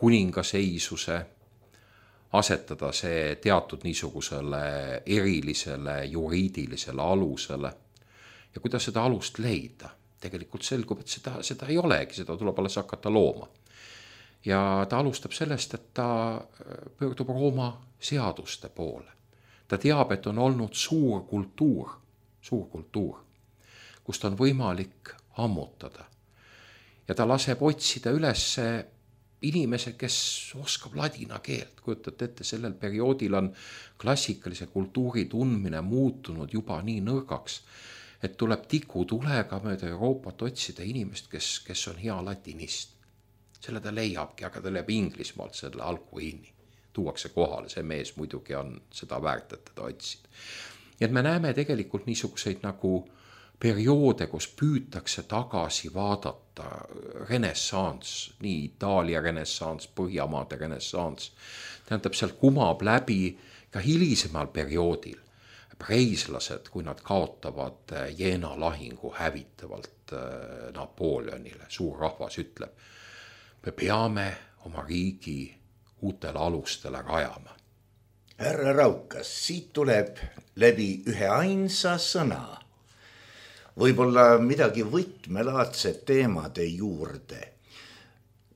kuningaseisuse, asetada see teatud niisugusele erilisele juriidilisele alusele. Ja kui ta seda alust leida, tegelikult selgub, et seda ei olegi, seda tuleb alles hakata looma. Ja ta alustab sellest, et ta pöördub Rooma seaduste poole. Ta teab, et on olnud suur kultuur, kust on võimalik ammutada. Ja ta laseb otsida üles inimese, kes oskab ladina keelt. Kujutate ette, sellel perioodil on klassikalise kultuuri tundmine muutunud juba nii nõrgaks, et tuleb tikutulega mööda Euroopat otsida inimest, kes on hea latinist. Selle ta leiabki, aga ta leiab Inglismaalt selle Alcuini. Tuuakse kohale, see mees muidugi on seda väärt, et teda otsid. Ja et me näeme tegelikult niisuguseid nagu perioode, kus püütakse tagasi vaadata renessants, nii Itaalia renessants, Põhjamaade renessants. Tähendab, seal kumab läbi ka hilisemal perioodil preislased, kui nad kaotavad Jena lahingu hävitavalt Napoleonile. Suur rahvas ütleb, me peame oma riigi uutele alustele rajama. Härra Raukas, siit tuleb läbi ühe ainsa sõna. Võib-olla midagi võtmelaadsed teemade juurde.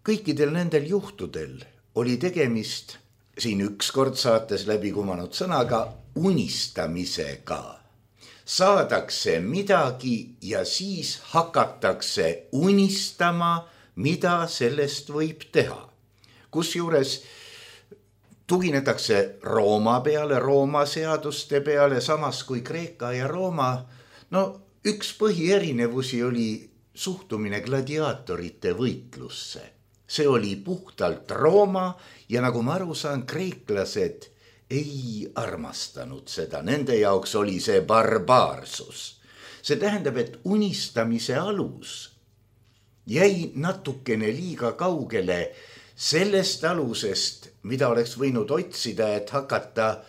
Kõikidel nendel juhtudel oli tegemist siin ükskord saates läbi kumanud sõnaga unistamisega. Saadakse midagi ja siis hakatakse unistama mida sellest võib teha. Kusjuures tuginetakse Rooma peale, Rooma seaduste peale, samas kui Kreeka ja Rooma, üks põhierinevusi oli suhtumine gladiaatorite võitlusse. See oli puhtalt Rooma ja nagu ma aru saan, kreeklased ei armastanud seda. Nende jaoks oli see barbaarsus. See tähendab, et unistamise alus jäi natukene liiga kaugele sellest alusest, mida oleks võinud otsida, et hakata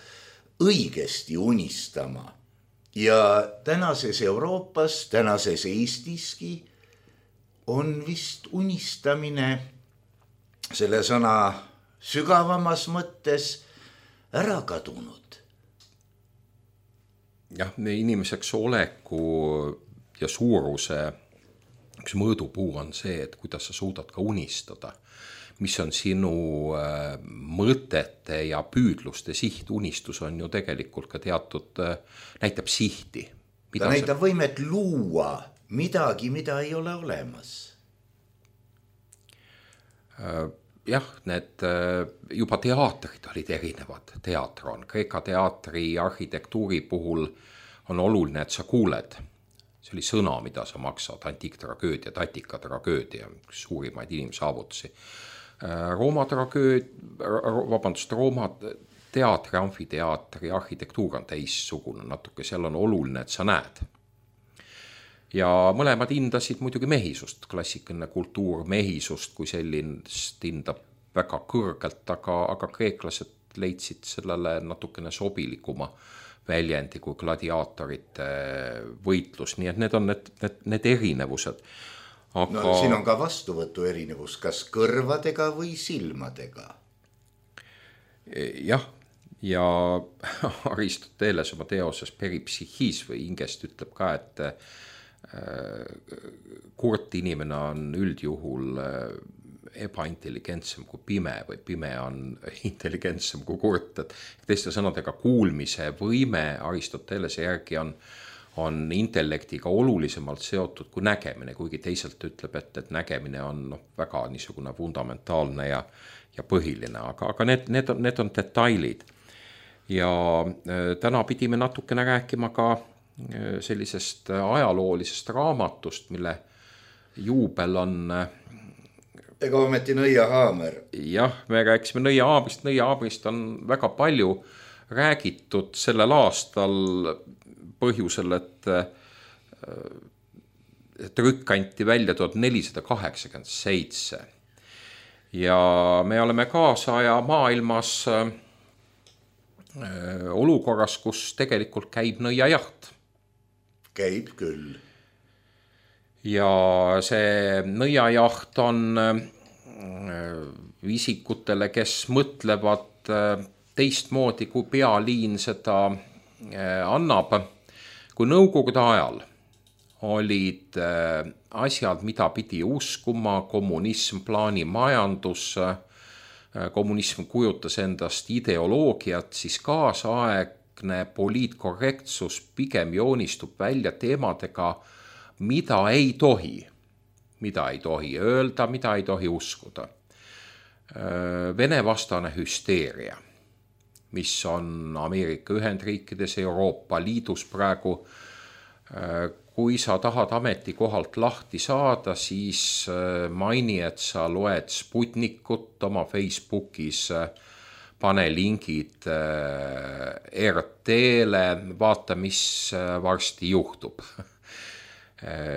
õigesti unistama. Ja tänases Euroopas, tänases Eestiski on vist unistamine selle sõna sügavamas mõttes ära kadunud. Jah, inimeseks oleku ja suuruse üks mõõdupuu on see, et kuidas sa suudad ka unistada. Mis on sinu mõtete ja püüdluste siht. Unistus on ju tegelikult ka teatud, näitab sihti. Ta näitab võimet luua midagi, mida ei ole olemas. Jah, need juba teatrid olid erinevad. Teater on. Kreeka teatri arhitektuuri puhul on oluline, et sa kuuled. See oli sõna, mida sa maksad. Antiiktragöödia, Attika-tragöödia, üks suurimaid inimsaavutusi. Rooma teatri, amfiteatri arhitektuur on teissugune natuke, seal on oluline, et sa näed. Ja mõlemad hindasid muidugi mehisust, klassikaline kultuur mehisust, kui sellist hindab väga kõrgelt, aga kreeklased leidsid sellele natukene sobilikuma väljendi kui gladiaatorite võitlus, nii et need on need erinevused. Aga... siin on ka vastuvõtu erinevus, kas kõrvadega või silmadega. Jah, ja Aristoteles oma teoses Peripsychis või ingest ütleb ka, et kurt inimene on üldjuhul ebaintelligentsem kui pime või pime on intelligentsem kui kurt. Teiste sõnadega kuulmise võime Aristotelese järgi on intellektiga olulisemalt seotud kui nägemine, kuigi teiselt ütleb, et nägemine on väga niisugune fundamentaalne ja põhiline, aga need on detailid. Ja täna pidime natukene rääkima ka sellisest ajaloolisest raamatust, mille juubel on... Ega ometi Nõiahaamer. Jah, me rääkisime Nõiahaabrist. Nõiahaabrist on väga palju räägitud sellel aastal põhjusel, et trükk anti välja 1487. Ja me oleme kaasaja maailmas olukorras, kus tegelikult käib nõiajaht. Käib küll. Ja see nõiajaht on isikutele, kes mõtlevad teistmoodi, kui pealiin seda annab. Kui nõukogude ajal olid asjad, mida pidi uskuma, kommunism, plaanimajandus, kommunism kujutas endast ideoloogiat, siis kaasaegne poliitkorrektsus pigem joonistub välja teemadega, mida ei tohi öelda, mida ei tohi uskuda. Vene-vastane hüsteeria, mis on Ameerika Ühendriikides, Euroopa Liidus praegu. Kui sa tahad ametikohalt lahti saada, siis maini, et sa loed Sputnikut oma Facebookis, pane lingid RT-le, vaata, mis varsti juhtub.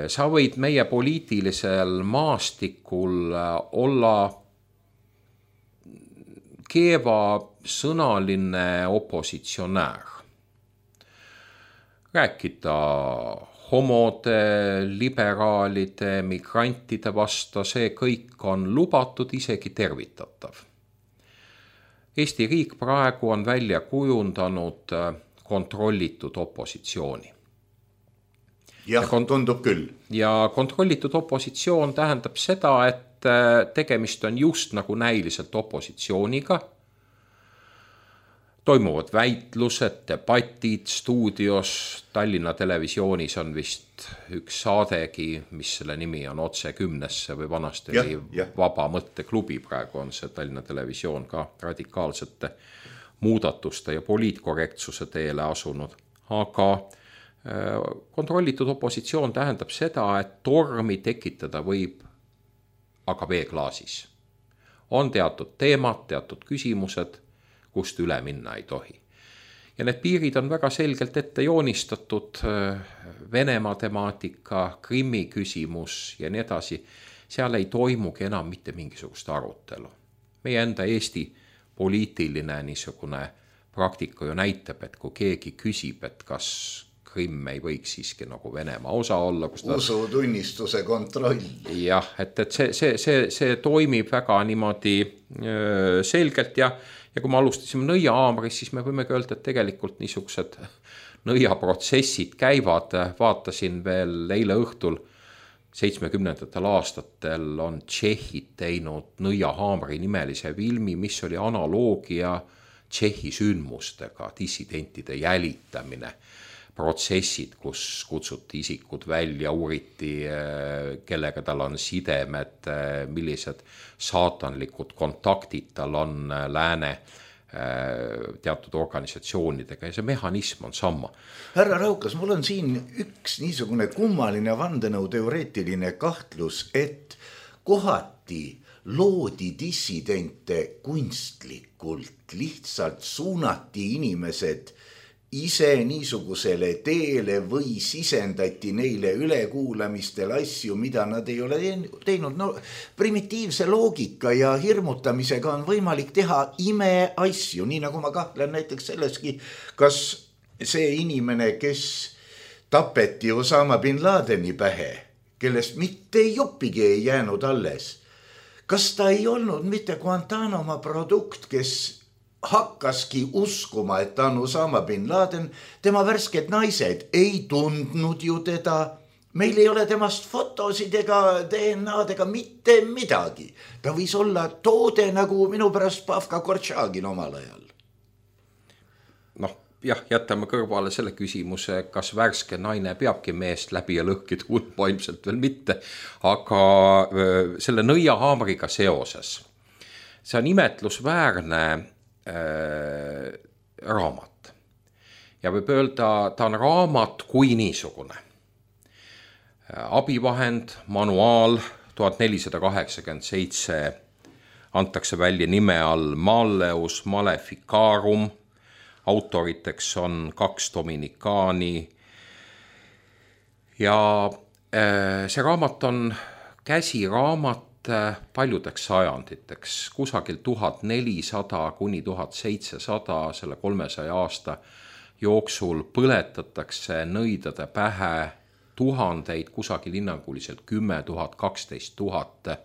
Sa võid meie poliitilisel maastikul olla keeva sõnaline opositsionäär. Rääkida homode, liberaalide, migrantide vasta, see kõik on lubatud, isegi tervitatav. Eesti riik praegu on välja kujundanud kontrollitud opositsiooni. Jah, tundub küll. Ja kontrollitud opositsioon tähendab seda, et tegemist on just nagu näiliselt opositsiooniga. toimuvad väitlused, debatid stuudios, Tallinna Televisioonis on vist üks saadegi, mis selle nimi on Otse 10-sse või vanasti oli Vaba mõtteklubi, praegu on see Tallinna Televisioon ka radikaalsete muudatuste ja poliitkorrektsuse teele asunud. Aga kontrollitud opositsioon tähendab seda, et tormi tekitada võib aga veeklaasis. On teatud teemad, teatud küsimused, kust üle minna ei tohi. Ja need piirid on väga selgelt ette joonistatud, Venemaa temaatika, Krimmi küsimus ja nii edasi. Seal ei toimugi enam mitte mingisugust arutelu. Meie enda Eesti poliitiline niisugune praktika ju näitab, et kui keegi küsib, et kas Krimm ei võiks siiski nagu Venemaa osa olla. Usutunnistuse kontroll. Jah, et see toimib väga niimoodi selgelt ja kui me alustasime nõiahaamris, siis me võime öelda, et tegelikult niisugused nõiaprotsessid käivad. Vaatasin veel eile õhtul 70. aastatel on Tšehhid teinud nõiahaamri nimelise filmi, mis oli analoogia Tšehhi sündmustega, dissidentide jälitamine, protsessid, kus kutsuti isikud välja, uuriti, kellega tal on sidemed, millised saatanlikud kontaktid tal on lääne teatud organisatsioonidega ja see mehhanism on sama. Härra Raukas, mul on siin üks niisugune kummaline vandenõuteoreetiline kahtlus, et kohati loodi dissidente kunstlikult, lihtsalt suunati inimesed ise niisugusele teele või sisendati neile ülekuulamistel asju, mida nad ei ole teinud. No, primitiivse loogika ja hirmutamisega on võimalik teha imeasju, nii nagu ma kahtlen näiteks selleski, kas see inimene, kes tapeti Osama bin Ladeni pähe, kellest mitte jopigi ei jäänud alles, kas ta ei olnud mitte Guantanamo produkt, kes hakkaski uskuma, et ta on Osama bin Laden, tema värsked naised ei tundnud ju teda, meil ei ole temast fotosid ega DNA-d ega mitte midagi. Ta võis olla toode nagu minu pärast Pavka Kortšagin omal ajal. Noh, jah, jätame kõrvale selle küsimuse, kas värske naine peabki meest läbi ja lõhki tundma, ilmselt veel mitte, aga selle nõiahaamriga seoses, see on imetlusväärne raamat. Ja võib öelda, ta on raamat kui niisugune. Abivahend, manuaal, 1487 antakse välja nime all Malleus Maleficarum, autoriteks on 2 dominikaani ja see raamat on käsiraamat paljudeks sajanditeks, kusagil 1400 kuni 1700, selle 300 aasta jooksul põletatakse nõidade pähe tuhandeid, kusagil hinnanguliselt 10 000, 12 000.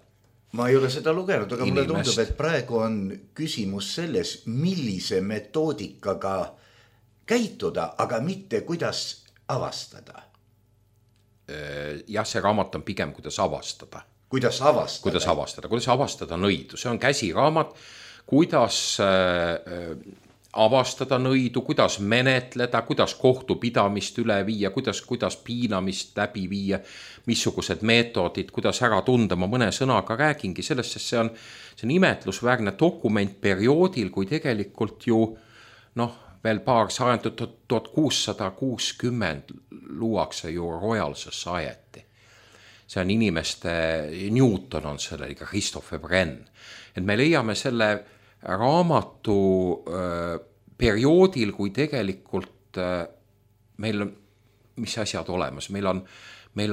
Ma ei ole seda lugenud, aga mulle tundub, et praegu on küsimus selles, millise metoodikaga käituda, aga mitte kuidas avastada. Jah, see raamat on pigem kuidas avastada. Kuidas avastada nõidu. See on käsiraamat, kuidas avastada nõidu, kuidas menetleda, kuidas kohtupidamist üle viia, kuidas piinamist läbi viia, missugused meetodid, kuidas ära tunda. Ma mõne sõnaga räägingi sellest, sest see on imetlusväärne dokument perioodil, kui tegelikult ju veel paar sajandit, 1660 luuakse ju Royal Society. See on inimeste, Newton on selle, ka Christophe Brenn. Et me leiame selle raamatu perioodil, kui tegelikult meil on, mis asjad olemas, meil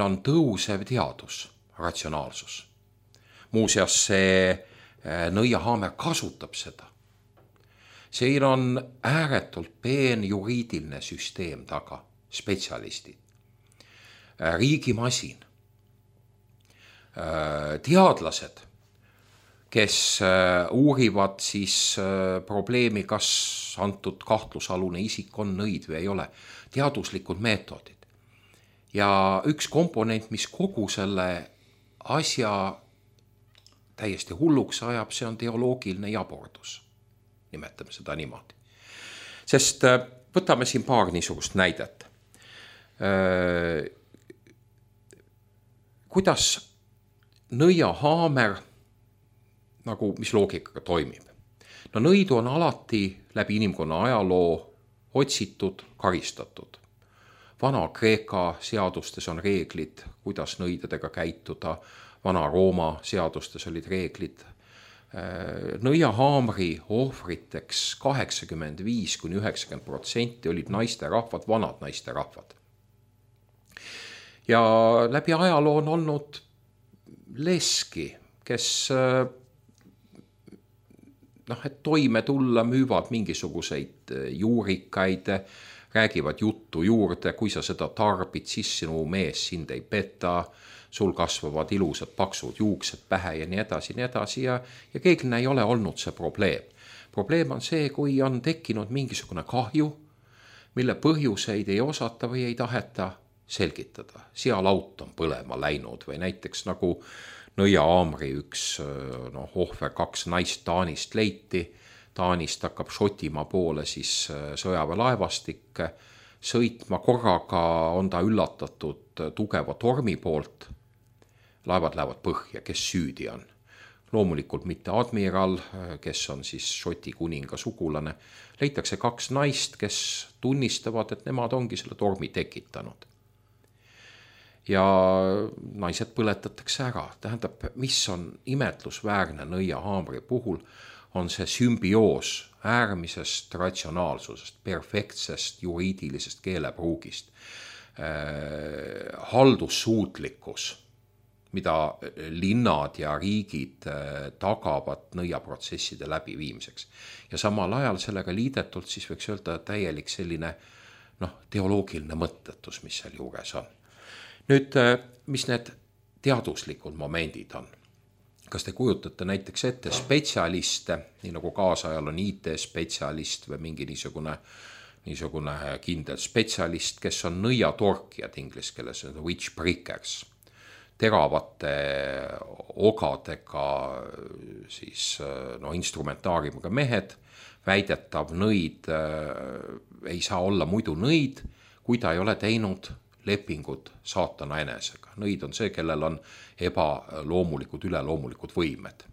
on tõusev teadus, ratsionaalsus. Muuseas, see nõiahaamer kasutab seda. Siin on ääretult peen juriidiline süsteem taga, spetsialistid, riigimasin, teadlased, kes uurivad siis probleemi, kas antud kahtlusalune isik on nõid või ei ole. Teaduslikud meetodid. Ja üks komponent, mis kogu selle asja täiesti hulluks ajab, see on teoloogiline jabordus. Nimetame seda niimoodi. Sest võtame siin paar niisugust näidet. Kuidas nõiahaamer, nagu mis loogikaga toimib? No nõidu on alati läbi inimkonna ajaloo otsitud, karistatud. Vana-Kreeka seadustes on reeglid, kuidas nõidadega käituda, Vana-Rooma seadustes olid reeglid. Nõiahaamri ohvriteks 85–90% olid naisterahvad, vanad naisterahvad. Ja läbi ajaloo on olnud leski, kes et toime tulla müüvad mingisuguseid juurikaid, räägivad juttu juurde, kui sa seda tarbid, siis sinu mees sind ei peta, sul kasvavad ilusad paksud juuksed pähe ja nii edasi ja keegline ei ole olnud see probleem. Probleem on see, kui on tekkinud mingisugune kahju, mille põhjuseid ei osata või ei taheta selgitada. Sealaut on põlema läinud või näiteks nagu nõiahaamri üks ohver, 2 naist Taanist leiti. Taanist hakkab Šotimaa poole siis sõjaväelaevastik sõitma. Korraga on ta üllatatud tugeva tormi poolt. Laevad lähevad põhja, kes süüdi on. Loomulikult mitte admiral, kes on siis Šoti kuninga sugulane. Leitakse 2 naist, kes tunnistavad, et nemad ongi selle tormi tekitanud. Ja naised põletatakse ära. Tähendab, mis on imetlusväärne nõiahaamri puhul, on see sümbioos äärmisest ratsionaalsusest, perfektsest juriidilisest keelepruugist, haldussuutlikkus, mida linnad ja riigid tagavad nõiaprotsesside läbiviimiseks. Ja samal ajal sellega liidetult siis võiks öelda täielik selline teoloogiline mõttetus, mis seal juures on. Nüüd, mis need teaduslikud momendid on? Kas te kujutate näiteks ette spetsialiste, nii nagu kaasajal on IT-spetsialist või mingi niisugune kindel spetsialist, kes on nõiatorkijad inglise keeles, witch breakers, teravate ogadega siis instrumentaariumiga mehed, väidetav nõid ei saa olla muidu nõid, kui ta ei ole teinud lepingud saatana enesega. Nõid on see, kellel on ebaloomulikud, üleloomulikud võimed.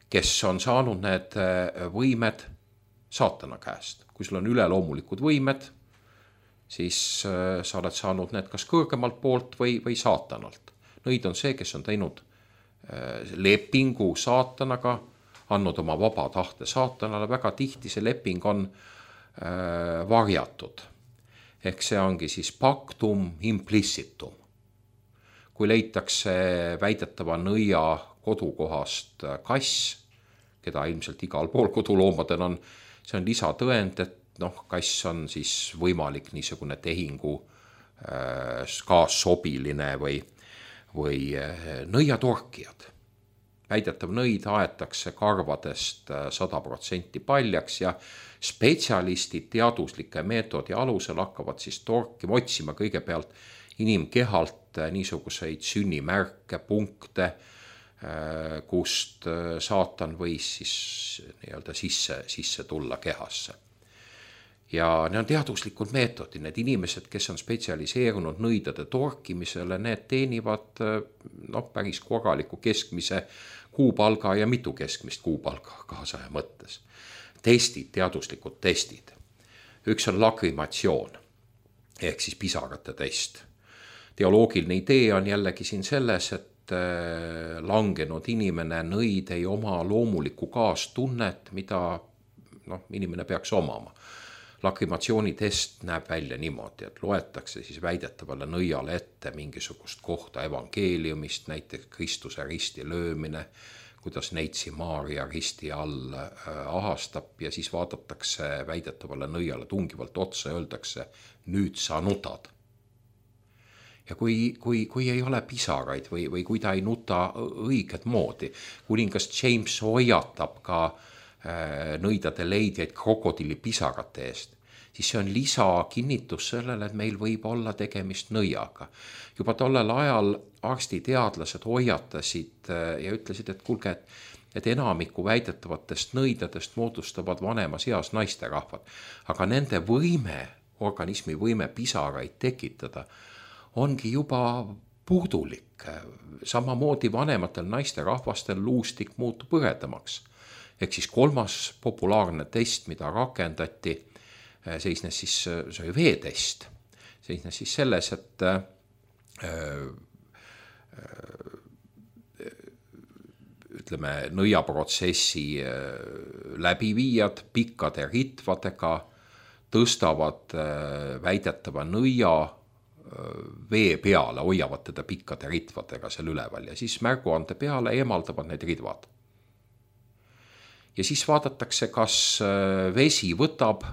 Kes on saanud need võimed saatana käest. Kui sul on üleloomulikud võimed, siis sa oled saanud need kas kõrgemalt poolt või saatanalt. Nõid on see, kes on teinud lepingu saatanaga, andnud oma vaba tahte saatanale. Väga tihti see leping on varjatud. Ehk see ongi siis pactum implicitum. Kui leitakse väidetava nõia kodukohast kass, keda ilmselt igal pool koduloomadel on, see on lisatõend, et kass on siis võimalik niisugune tehingu kaassobiline või nõiatorkijad. Väidetav nõid aetakse karvadest 100% paljaks ja spetsialistid teaduslike meetodi alusel hakkavad siis torkima, otsima kõigepealt inimkehalt niisuguseid sünnimärke, punkte, kust saatan võis siis nii-öelda sisse tulla kehasse. Ja need on teaduslikud meetodid, need inimesed, kes on spetsialiseerunud nõidade torkimisele, need teenivad päris korraliku keskmise kuupalga ja mitu keskmist kuupalga kaasaja mõttes. Testid, teaduslikud testid. Üks on lakrimatsioon, ehk siis pisarate test. Teoloogiline idee on jällegi siin selles, et langenud inimene nõid ei oma loomulikku kaastunnet, mida inimene peaks omama. Lakrimatsiooni test näeb välja niimoodi, et loetakse siis väidetavale nõiale ette mingisugust kohta evangeeliumist, näiteks Kristuse risti löömine, kuidas neitsi Maaria risti all ahastab ja siis vaadatakse väidetavale nõiale tungivalt otsa ja öeldakse, nüüd sa nutad. Ja kui ei ole pisaraid või kui ta ei nuta õiget moodi, kuningas James hoiatab ka nõidade leidjaid krokodillipisarate eest, siis see on lisakinnitus sellele, et meil võib olla tegemist nõiaga. Juba tollel ajal arstiteadlased hoiatasid ja ütlesid, et kuulge, et enamiku väidetavatest nõidadest moodustavad vanemas eas naisterahvad, aga nende organismi võime pisaraid tekitada ongi juba puudulik. Samamoodi vanematel naisterahvastel luustik muutub hõredamaks. Ehk siis 3. populaarne test, mida rakendati, seisnes siis, see oli veetest, seisnes siis selles, et ütleme, nõiaprotsessi läbiviijad pikkade ritvadega tõstavad väidetava nõia vee peale, hoiavad teda pikkade ritvadega seal üleval ja siis märguande peale eemaldavad need ridvad. Ja siis vaadatakse, kas vesi võtab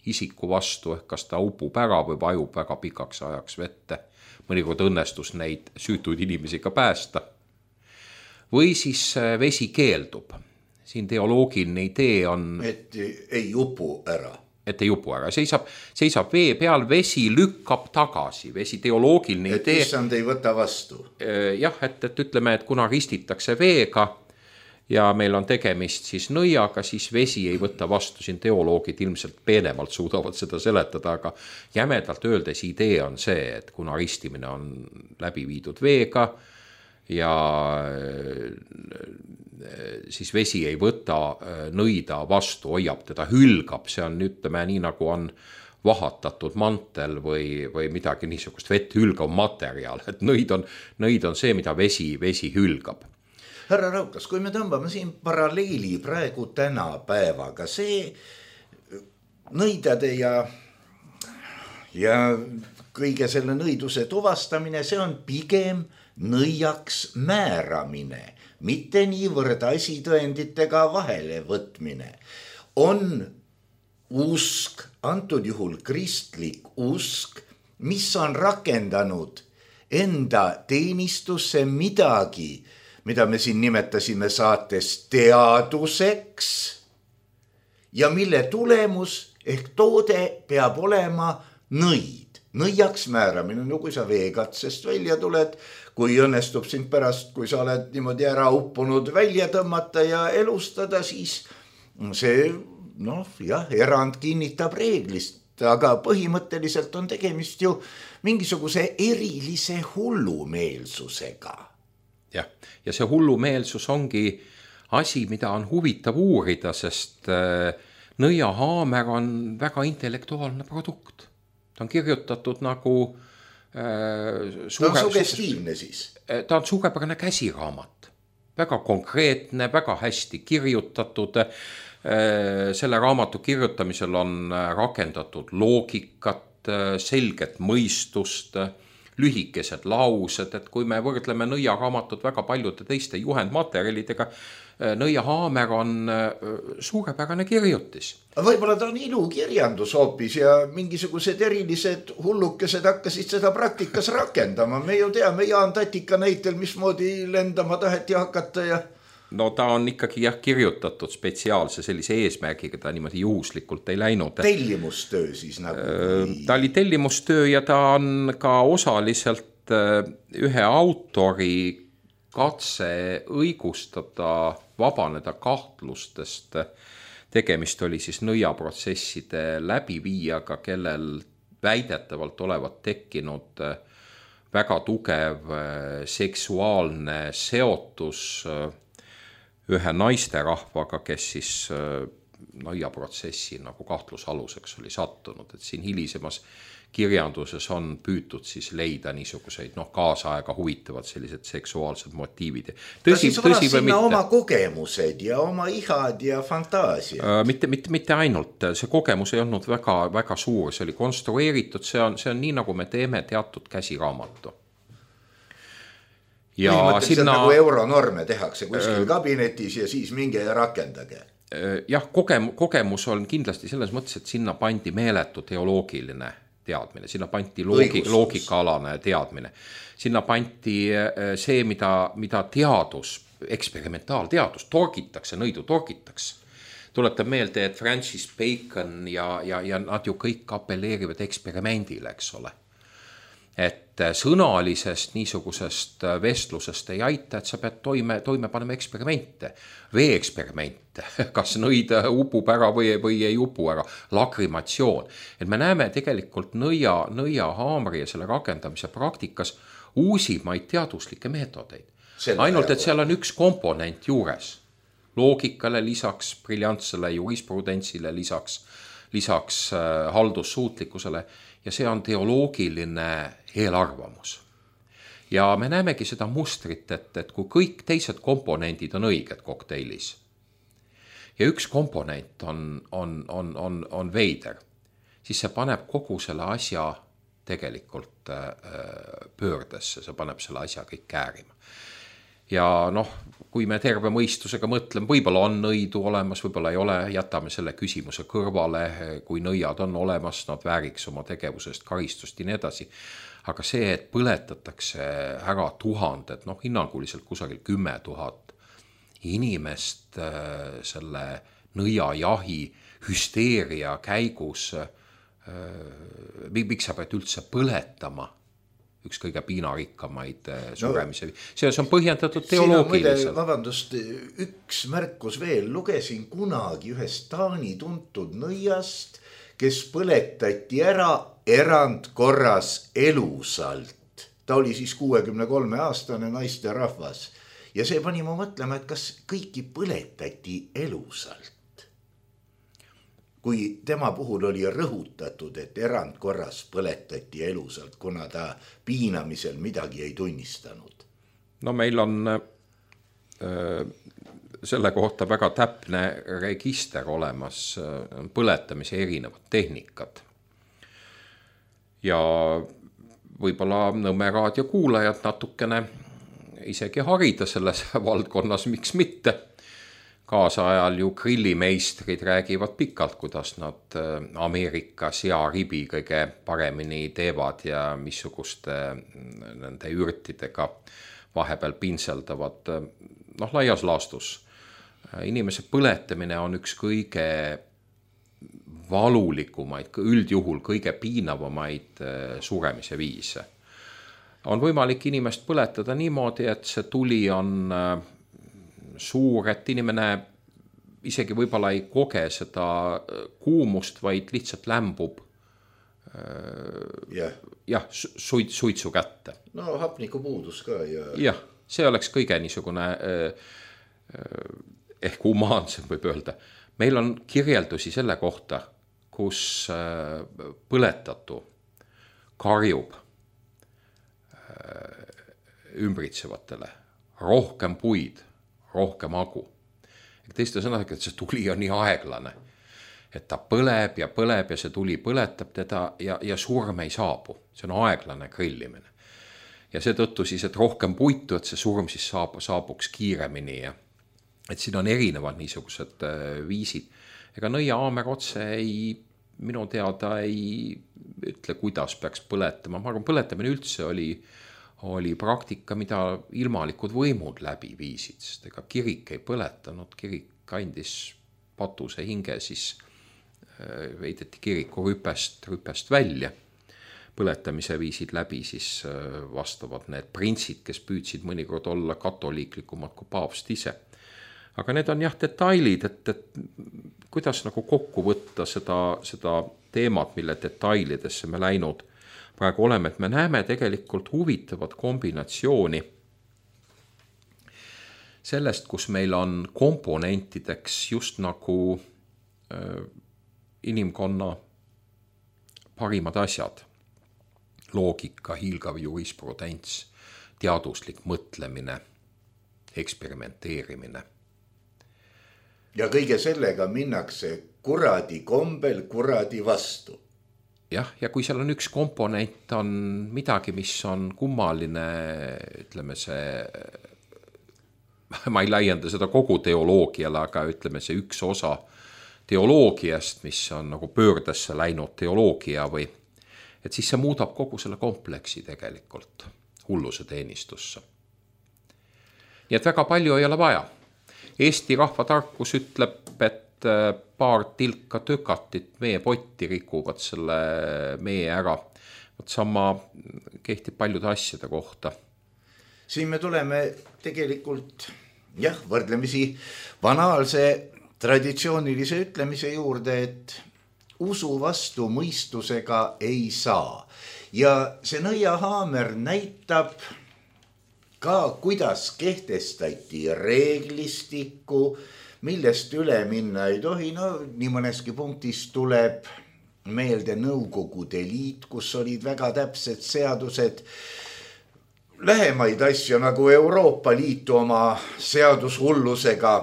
isiku vastu, ehk kas ta upub ära või vajub väga pikaks ajaks vette. Mõnikord õnnestus neid süütuid inimesi ka päästa. Või siis vesi keeldub. Siin teoloogiline idee on... Et ei upu ära. Et ei upu ära. Seisab vee peal, vesi lükkab tagasi. Vesi teoloogiline idee... Et issand ei võta vastu. Jah, et ütleme, et kuna ristitakse veega ja meil on tegemist siis nõiaga, siis vesi ei võta vastu. Siin teoloogid ilmselt peenemalt suudavad seda seletada, aga jämedalt öeldes idee on see, et kuna ristimine on läbi viidud veega ja siis vesi ei võta nõida vastu, hoiab teda, hülgab, see on, ütleme, nii nagu on vahatatud mantel või midagi niisugust vett hülgav materjal, et nõid on see, mida vesi hülgab. Härra Raukas, kui me tõmbame siin paralleeli praegu tänapäevaga, see nõidade ja kõige selle nõiduse tuvastamine, see on pigem nõiaks määramine, mitte niivõrd asitõenditega vahele võtmine. On usk, antud juhul kristlik usk, mis on rakendanud enda teenistusse midagi, mida me siin nimetasime saates teaduseks ja mille tulemus ehk toode peab olema nõid. Nõiaks määramine, no kui sa veekatsest välja tuled, kui õnnestub sind pärast, kui sa oled niimoodi ära uppunud välja tõmmata ja elustada, siis see, erand kinnitab reeglist, aga põhimõtteliselt on tegemist ju mingisuguse erilise hullumeelsusega. Jah, ja see hullumeelsus ongi asi, mida on huvitav uurida, sest nõiahaamer on väga intellektuaalne produkt. Ta on kirjutatud nagu... ta on sugestiivne siis? Ta on suurepärane käsiraamat. Väga konkreetne, väga hästi kirjutatud. Selle raamatu kirjutamisel on rakendatud loogikat, selget mõistust, lühikesed laused, et kui me võrdleme nõiaraamatut väga paljude teiste juhendmaterjalidega, nõiahaamer on suurepärane kirjutis. Võib-olla ta on ilukirjandus hoopis ja mingisugused erilised hullukesed hakkasid seda praktikas rakendama. Me ju teame Jaan Tatika näitel, mismoodi lendama taheti hakata ja... No ta on ikkagi kirjutatud spetsiaalse sellise eesmärgiga, ta niimoodi juhuslikult ei läinud. Tellimustöö siis nagu? Ta oli tellimustöö ja ta on ka osaliselt ühe autori katse õigustada, vabaneda kahtlustest. Tegemist oli siis nõiaprotsesside läbiviijaga, kellel väidetavalt olevat tekkinud väga tugev seksuaalne seotus ühe naisterahvaga, kes siis nõiaprotsessi nagu kahtlusaluseks oli sattunud, et siin hilisemas kirjanduses on püütud siis leida niisuguseid kaasaega huvitavad sellised seksuaalsed motiivid. Ta siis varas sinna oma kogemused ja oma ihad ja fantaasia. Mitte ainult, see kogemus ei olnud väga, väga suur, see oli konstrueeritud, see on nii, nagu me teeme teatud käsiraamatu. Ja põhimõtteliselt nagu euronorme tehakse kuskil kabinetis ja siis minge ja rakendage. Jah, kogemus on kindlasti selles mõttes, et sinna pandi meeletu teoloogiline teadmine, sinna pandi loogikaalane teadmine. Sinna pandi see, mida teadus, eksperimentaalteadus, nõidu torgitakse. Tuletab meelde, et Francis Bacon ja nad ju kõik apelleerivad eksperimendile, eks ole. et sõnalisest niisugusest vestlusest ei aita, et sa pead toime panema eksperimente, veeeksperimente, kas nõid upub ära või ei upu ära, lakrimatsioon. Et me näeme tegelikult nõiahaamri ja selle rakendamise praktikas uusimaid teaduslikke meetodeid. Ainult, et seal on üks komponent juures. Loogikale lisaks, briljantsele jurisprudentsile lisaks haldussuutlikkusele ja see on teoloogiline eelarvamus. Ja me näemegi seda mustrit, et kui kõik teised komponendid on õiged kokteilis ja üks komponent on veider, siis see paneb kogu selle asja tegelikult pöördesse, see paneb selle asja kõik käärima. Ja kui me terve mõistusega mõtleme, võib-olla on nõidu olemas, võib-olla ei ole, jätame selle küsimuse kõrvale, kui nõiad on olemas, nad vääriks oma tegevusest karistust ja nii edasi. Aga see, et põletatakse ära tuhanded, hinnanguliselt kusagil 10 000 inimest selle nõiajahi hüsteeria käigus, miks sa pead üldse põletama üks kõige piinarikkamaid suremise. See on põhjendatud teoloogiliselt. Vabandust, üks märkus veel. Lugesin kunagi ühest Taani tuntud nõiast, kes põletati ära erandkorras elusalt. Ta oli siis 63-aastane naisterahvas. Ja see pani ma mõtlema, et kas kõiki põletati elusalt. Kui tema puhul oli rõhutatud, et erandkorras põletati elusalt, kuna ta piinamisel midagi ei tunnistanud. Meil on selle kohta väga täpne register olemas, põletamise erinevad tehnikad. Ja võib-olla Nõmme raadio kuulajad natukene isegi harida selles valdkonnas, miks mitte. Kaasajal ju grillimeistrid räägivad pikalt, kuidas nad Ameerika searibi kõige paremini teevad ja missuguste nende ürtidega vahepeal pinseldavad. Laias laastus. Inimese põletamine on üks kõige valulikumaid, üldjuhul kõige piinavamaid suremise viise. On võimalik inimest põletada niimoodi, et see tuli on suur, et inimene isegi võib-olla ei koge seda kuumust, vaid lihtsalt lämbub suitsu kätte. Hapnikupuudus ka. Jah, see oleks kõige niisugune ehk humaansem võib öelda. Meil on kirjeldusi selle kohta, kus põletatu karjub ümbritsevatele rohkem puid, rohkem agu. Teiste sõnadega, et see tuli on nii aeglane, et ta põleb ja see tuli põletab teda ja surm ei saabu. See on aeglane grillimine. Ja seetõttu siis, et rohkem puitu, et see surm siis saabuks kiiremini. Et siin on erinevad niisugused viisid. Ega nõiahaamer otse minu teada ei ütle, kuidas peaks põletama. Ma arvan, põletamine üldse oli praktika, mida ilmalikud võimud läbi viisid, sest ega kirik ei põletanud, kirik andis patuse hinge, siis veideti kiriku rüpest välja. Põletamise viisid läbi siis vastavad need printsid, kes püüdsid mõnikord olla katoliiklikumad kui paavst ise. Aga need on detailid, et kuidas nagu kokku võtta seda teemat, mille detailidesse me läinud praegu oleme, et me näeme tegelikult huvitavat kombinatsiooni sellest, kus meil on komponentideks just nagu inimkonna parimad asjad. Loogika, hiilgav jurisprudents, teaduslik mõtlemine, eksperimenteerimine. Ja kõige sellega minnakse kuradi kombel kuradi vastu. Ja kui seal on üks komponent, on midagi, mis on kummaline, ütleme see, ma ei laienda seda kogu teoloogiale, aga ütleme see üks osa teoloogiast, mis on nagu pöördesse läinud teoloogia või, et siis see muudab kogu selle kompleksi tegelikult hulluse teenistusse. Nii et väga palju ei ole vaja. Eesti rahvatarkus ütleb, et paar tilka tökatit meie potti rikuvad selle meie ära. sama kehtib paljude asjade kohta. Siin me tuleme tegelikult võrdlemisi banaalse traditsioonilise ütlemise juurde, et usu vastu mõistusega ei saa. Ja see nõiahaamer näitab ka, kuidas kehtestati reeglistikku, millest üle minna ei tohi. No nii mõneski punktis tuleb meelde Nõukogude Liit, kus olid väga täpsed seadused. Lähemaid asju nagu Euroopa Liitu oma seadushullusega,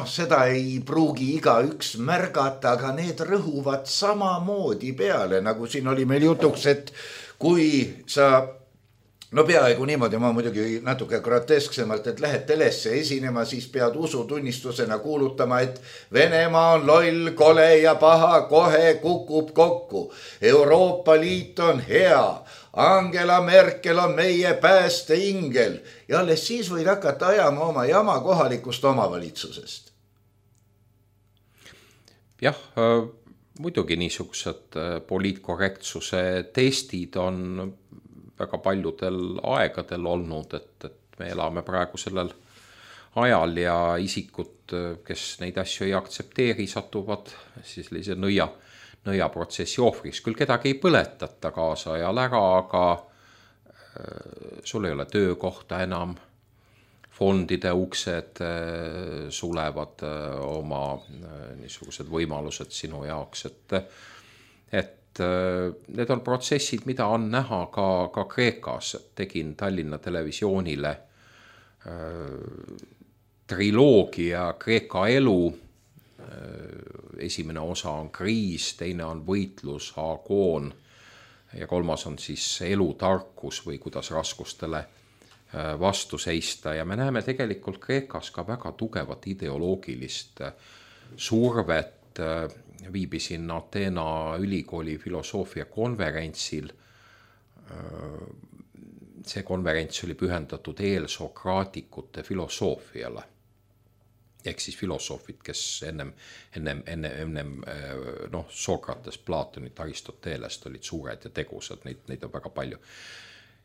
seda ei pruugi igaüks märgata, aga need rõhuvad samamoodi peale, nagu siin oli meil jutuks, et kui sa, peaaegu niimoodi, ma muidugi natuke grotesksemalt, et lähed telesse esinema, siis pead usutunnistusena kuulutama, et Venemaa on loll, kole ja paha, kohe kukub kokku. Euroopa Liit on hea. Angela Merkel on meie päästeingel ja alles siis võid hakata ajama oma jama kohalikust omavalitsusest. Jah, muidugi niisugused poliitkorrektsuse testid on väga paljudel aegadel olnud, et me elame praegu sellel ajal ja isikud, kes neid asju ei aktsepteeri, satuvad siis sellise nõiaprotsessi ohvriks. Küll kedagi ei põletata kaasa ajal ära, aga sul ei ole töökohta enam, fondide uksed sulevad oma niisugused võimalused sinu jaoks, et need on protsessid, mida on näha ka Kreekas. Tegin Tallinna Televisioonile triloogia Kreeka elu. Esimene osa on kriis, teine on võitlus, agoon ja kolmas on siis elutarkus või kuidas raskustele vastu seista. Ja me näeme tegelikult Kreekas ka väga tugevat ideoloogilist survet. Viibisin Ateena ülikooli filosoofia konverentsil. See konverents oli pühendatud eelsokraatikute filosoofiale. Ehk siis filosoofid, kes ennem Sokrates, Platonit, Aristotelest olid suured ja tegusad, neid on väga palju.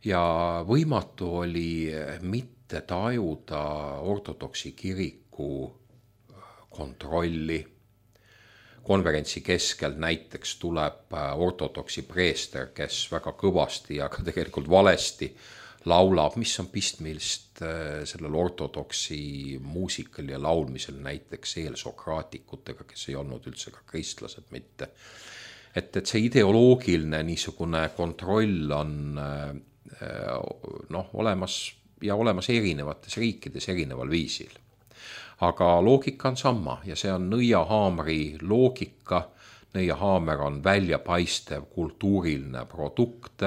Ja võimatu oli mitte tajuda ortodoksi kiriku kontrolli. Konverentsi keskel näiteks tuleb ortodoksi preester, kes väga kõvasti ja ka tegelikult valesti laulab, mis on pistmilist sellel ortodoksi muusikal ja laulmisel näiteks eelsokraatikutega, kes ei olnud üldse ka kristlased mitte. Et see ideoloogiline niisugune kontroll on olemas erinevates riikides erineval viisil. Aga loogika on sama ja see on nõiahaamri loogika. Nõiahaamer on väljapaistev kultuuriline produkt,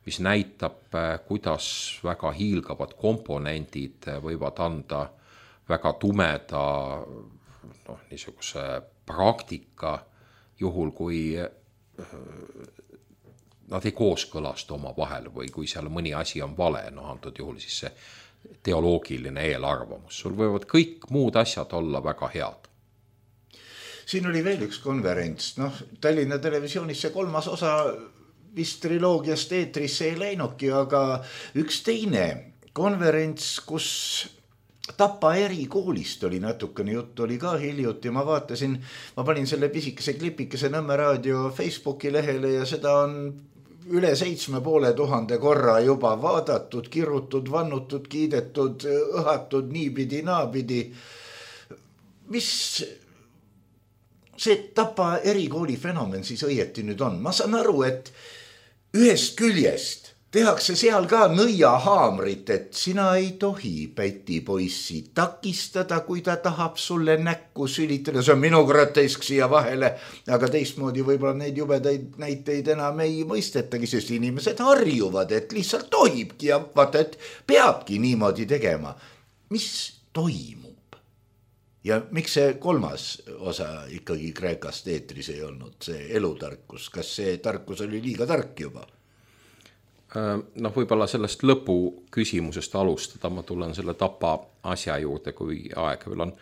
mis näitab, kuidas väga hiilgavad komponendid võivad anda väga tumeda niisuguse praktika juhul, kui nad ei kooskõlasta oma vahel või kui seal mõni asi on vale, antud juhul siis see teoloogiline eelarvamus. Sul võivad kõik muud asjad olla väga head. Siin oli veel üks konverents. Tallinna Televisioonis see 3. osa vist triloogiast eetrisse ei läinudki, aga üks teine konverents, kus Tapa erikoolist oli natukene juttu, oli ka hiljuti. Ma panin selle pisikese klipikese Nõmme Raadio Facebooki lehele ja seda on üle 7500 korra juba vaadatud, kirutud, vannutud, kiidetud, õhatud niipidi, naapidi. Mis see Tapa erikooli fenomen siis õieti nüüd on? Ma saan aru, et ühest küljest tehakse seal ka nõiahaamrit, et sina ei tohi pätipoissi takistada, kui ta tahab sulle näkku sülitada. See on minu grotesk siia vahele, aga teistmoodi võib-olla neid jubedaid näiteid enam ei mõistetagi, sest inimesed harjuvad, et lihtsalt tohibki ja vaata, et peabki niimoodi tegema. Mis toimub? Ja miks see 3. osa ikkagi Kreekast eetris ei olnud, see elutarkus? Kas see tarkus oli liiga tark juba? Võib-olla sellest lõpu küsimusest alustada, ma tulen selle Tapa asja juurde, kui aeg veel on.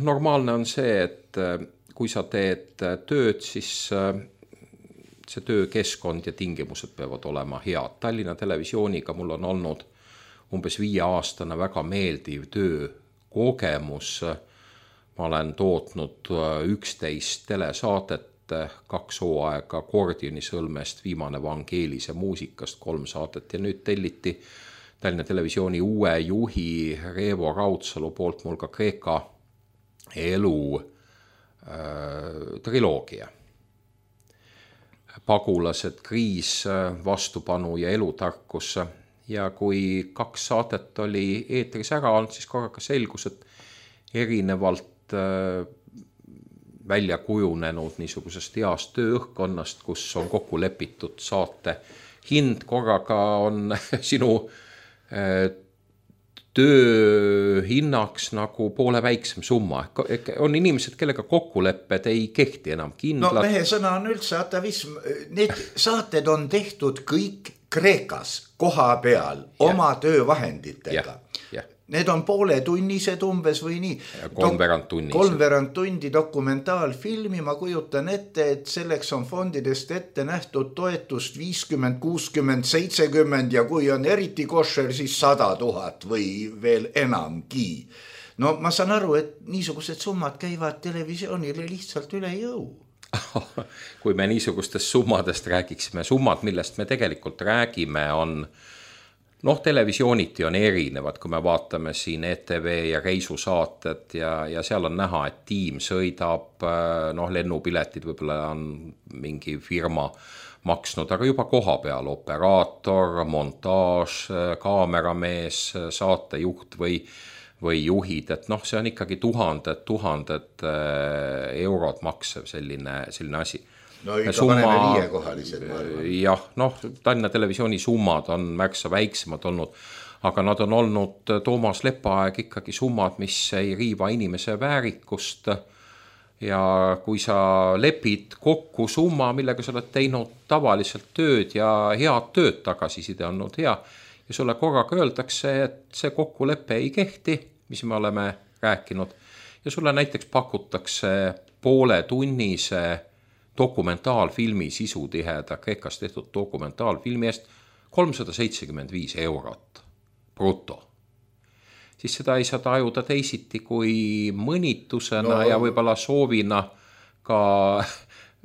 Normaalne on see, et kui sa teed tööd, siis see töökeskkond ja tingimused peavad olema head. Tallinna Televisiooniga mul on olnud umbes 5-aastane väga meeldiv töökogemus. Ma olen tootnud 11 telesaadet, 2 hooaega Kordionisõlmest, viimane Vangeelise muusikast, 3 saadet ja nüüd telliti Tallinna Televisiooni uue juhi Reevo Raudsalu poolt mul ka Kreeka elu triloogia. Pagulased, kriis, vastupanu ja elutarkus. Ja kui 2 saadet oli eetris ära olnud, siis korraga selgus, et erinevalt välja kujunenud niisugusest heast tööõhkkonnast, kus on kokku lepitud saate hind, korraga on sinu tööhinnaks nagu poole väiksem summa. On inimesed, kellega kokkulepped ei kehti enam kindlad. No mehe sõna on üldse atavism. Need saated on tehtud kõik Kreekas koha peal oma töövahenditega. Need on pooletunnised umbes või nii. Kolmveerand tundi dokumentaalfilmi. Ma kujutan ette, et selleks on fondidest ette nähtud toetust 50, 60, 70 ja kui on eriti košer, siis 100 000 või veel enamgi. No ma saan aru, et niisugused summad käivad televisioonile lihtsalt üle jõu. Kui me niisugustest summadest räägiksime, summad, millest me tegelikult räägime, on televisiooniti on erinevad, kui me vaatame siin ETV ja reisusaated ja seal on näha, et tiim sõidab, lennupiletid võib-olla on mingi firma maksnud, aga juba koha peal operaator, montaaž, kaameramees, saatejuht või juhid, et see on ikkagi tuhanded eurod maksev selline asi. No ikka paneme 5-kohalised maailma. Jah, Tallinna Televisiooni summad on märksa väiksemad olnud, aga nad on olnud Toomas Lepaaeg ikkagi summad, mis ei riiva inimese väärikust. Ja kui sa lepid kokku summa, millega sa oled teinud tavaliselt tööd ja head tööd, tagasiside on olnud hea, ja sulle korraga öeldakse, et see kokkulepe ei kehti, mis me oleme rääkinud, ja sulle näiteks pakutakse pooletunnise dokumentaalfilmi sisutiheda Kreekas tehtud dokumentaalfilmi eest 375 eurot bruto. Siis seda ei saa tajuda teisiti kui mõnitusena ja võib-olla soovina ka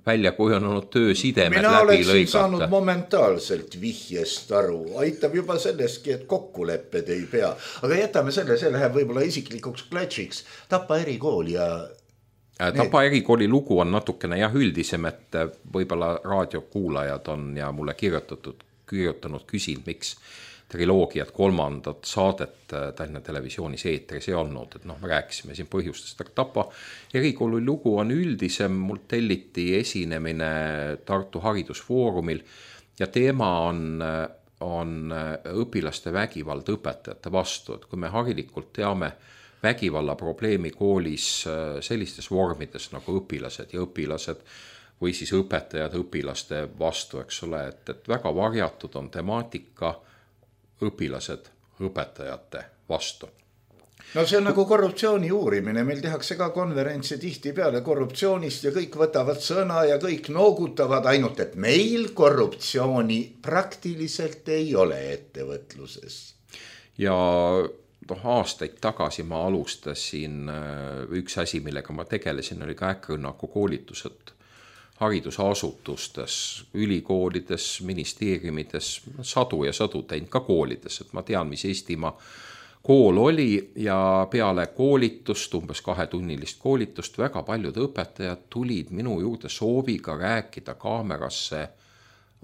välja kujunenud töösidemed läbi lõigata. Mina oleksin saanud momentaalselt vihjest aru. Aitab juba selleski, et kokkulepped ei pea. Aga jätame selle läheb võib-olla isiklikuks klatšiks. Tapa erikool ja Tapa erikooli lugu on natukene üldisem, et võib-olla raadiokuulajad on ja mulle kirjutanud küsinud, miks triloogiat 3. saadet Tallinna Televisioonis eetris ei olnud, et me rääkisime siin põhjustest, aga Tapa erikooli lugu on üldisem, mul telliti esinemine Tartu Haridusfoorumil ja teema on õpilaste vägivald õpetajate vastu, et kui me harilikult teame vägivalla probleemi koolis sellistes vormides nagu õpilased ja õpilased või siis õpetajad õpilaste vastu, eks ole, et väga varjatud on temaatika õpilased õpetajate vastu. No see on nagu korruptsiooni uurimine, meil tehakse ka konverentse tihti peale korruptsioonist ja kõik võtavad sõna ja kõik noogutavad, ainult et meil korruptsiooni praktiliselt ei ole ettevõtluses. Ja aastaid tagasi ma alustasin, üks asi, millega ma tegelesin, oli ka äkkrünnaku koolitused haridusasutustes, ülikoolides, ministeeriumides, sadu ja sadu teinud ka koolides, et ma tean, mis Eestimaa kool oli ja peale koolitust, umbes 2-tunnilist koolitust, väga paljud õpetajad tulid minu juurde sooviga rääkida kaamerasse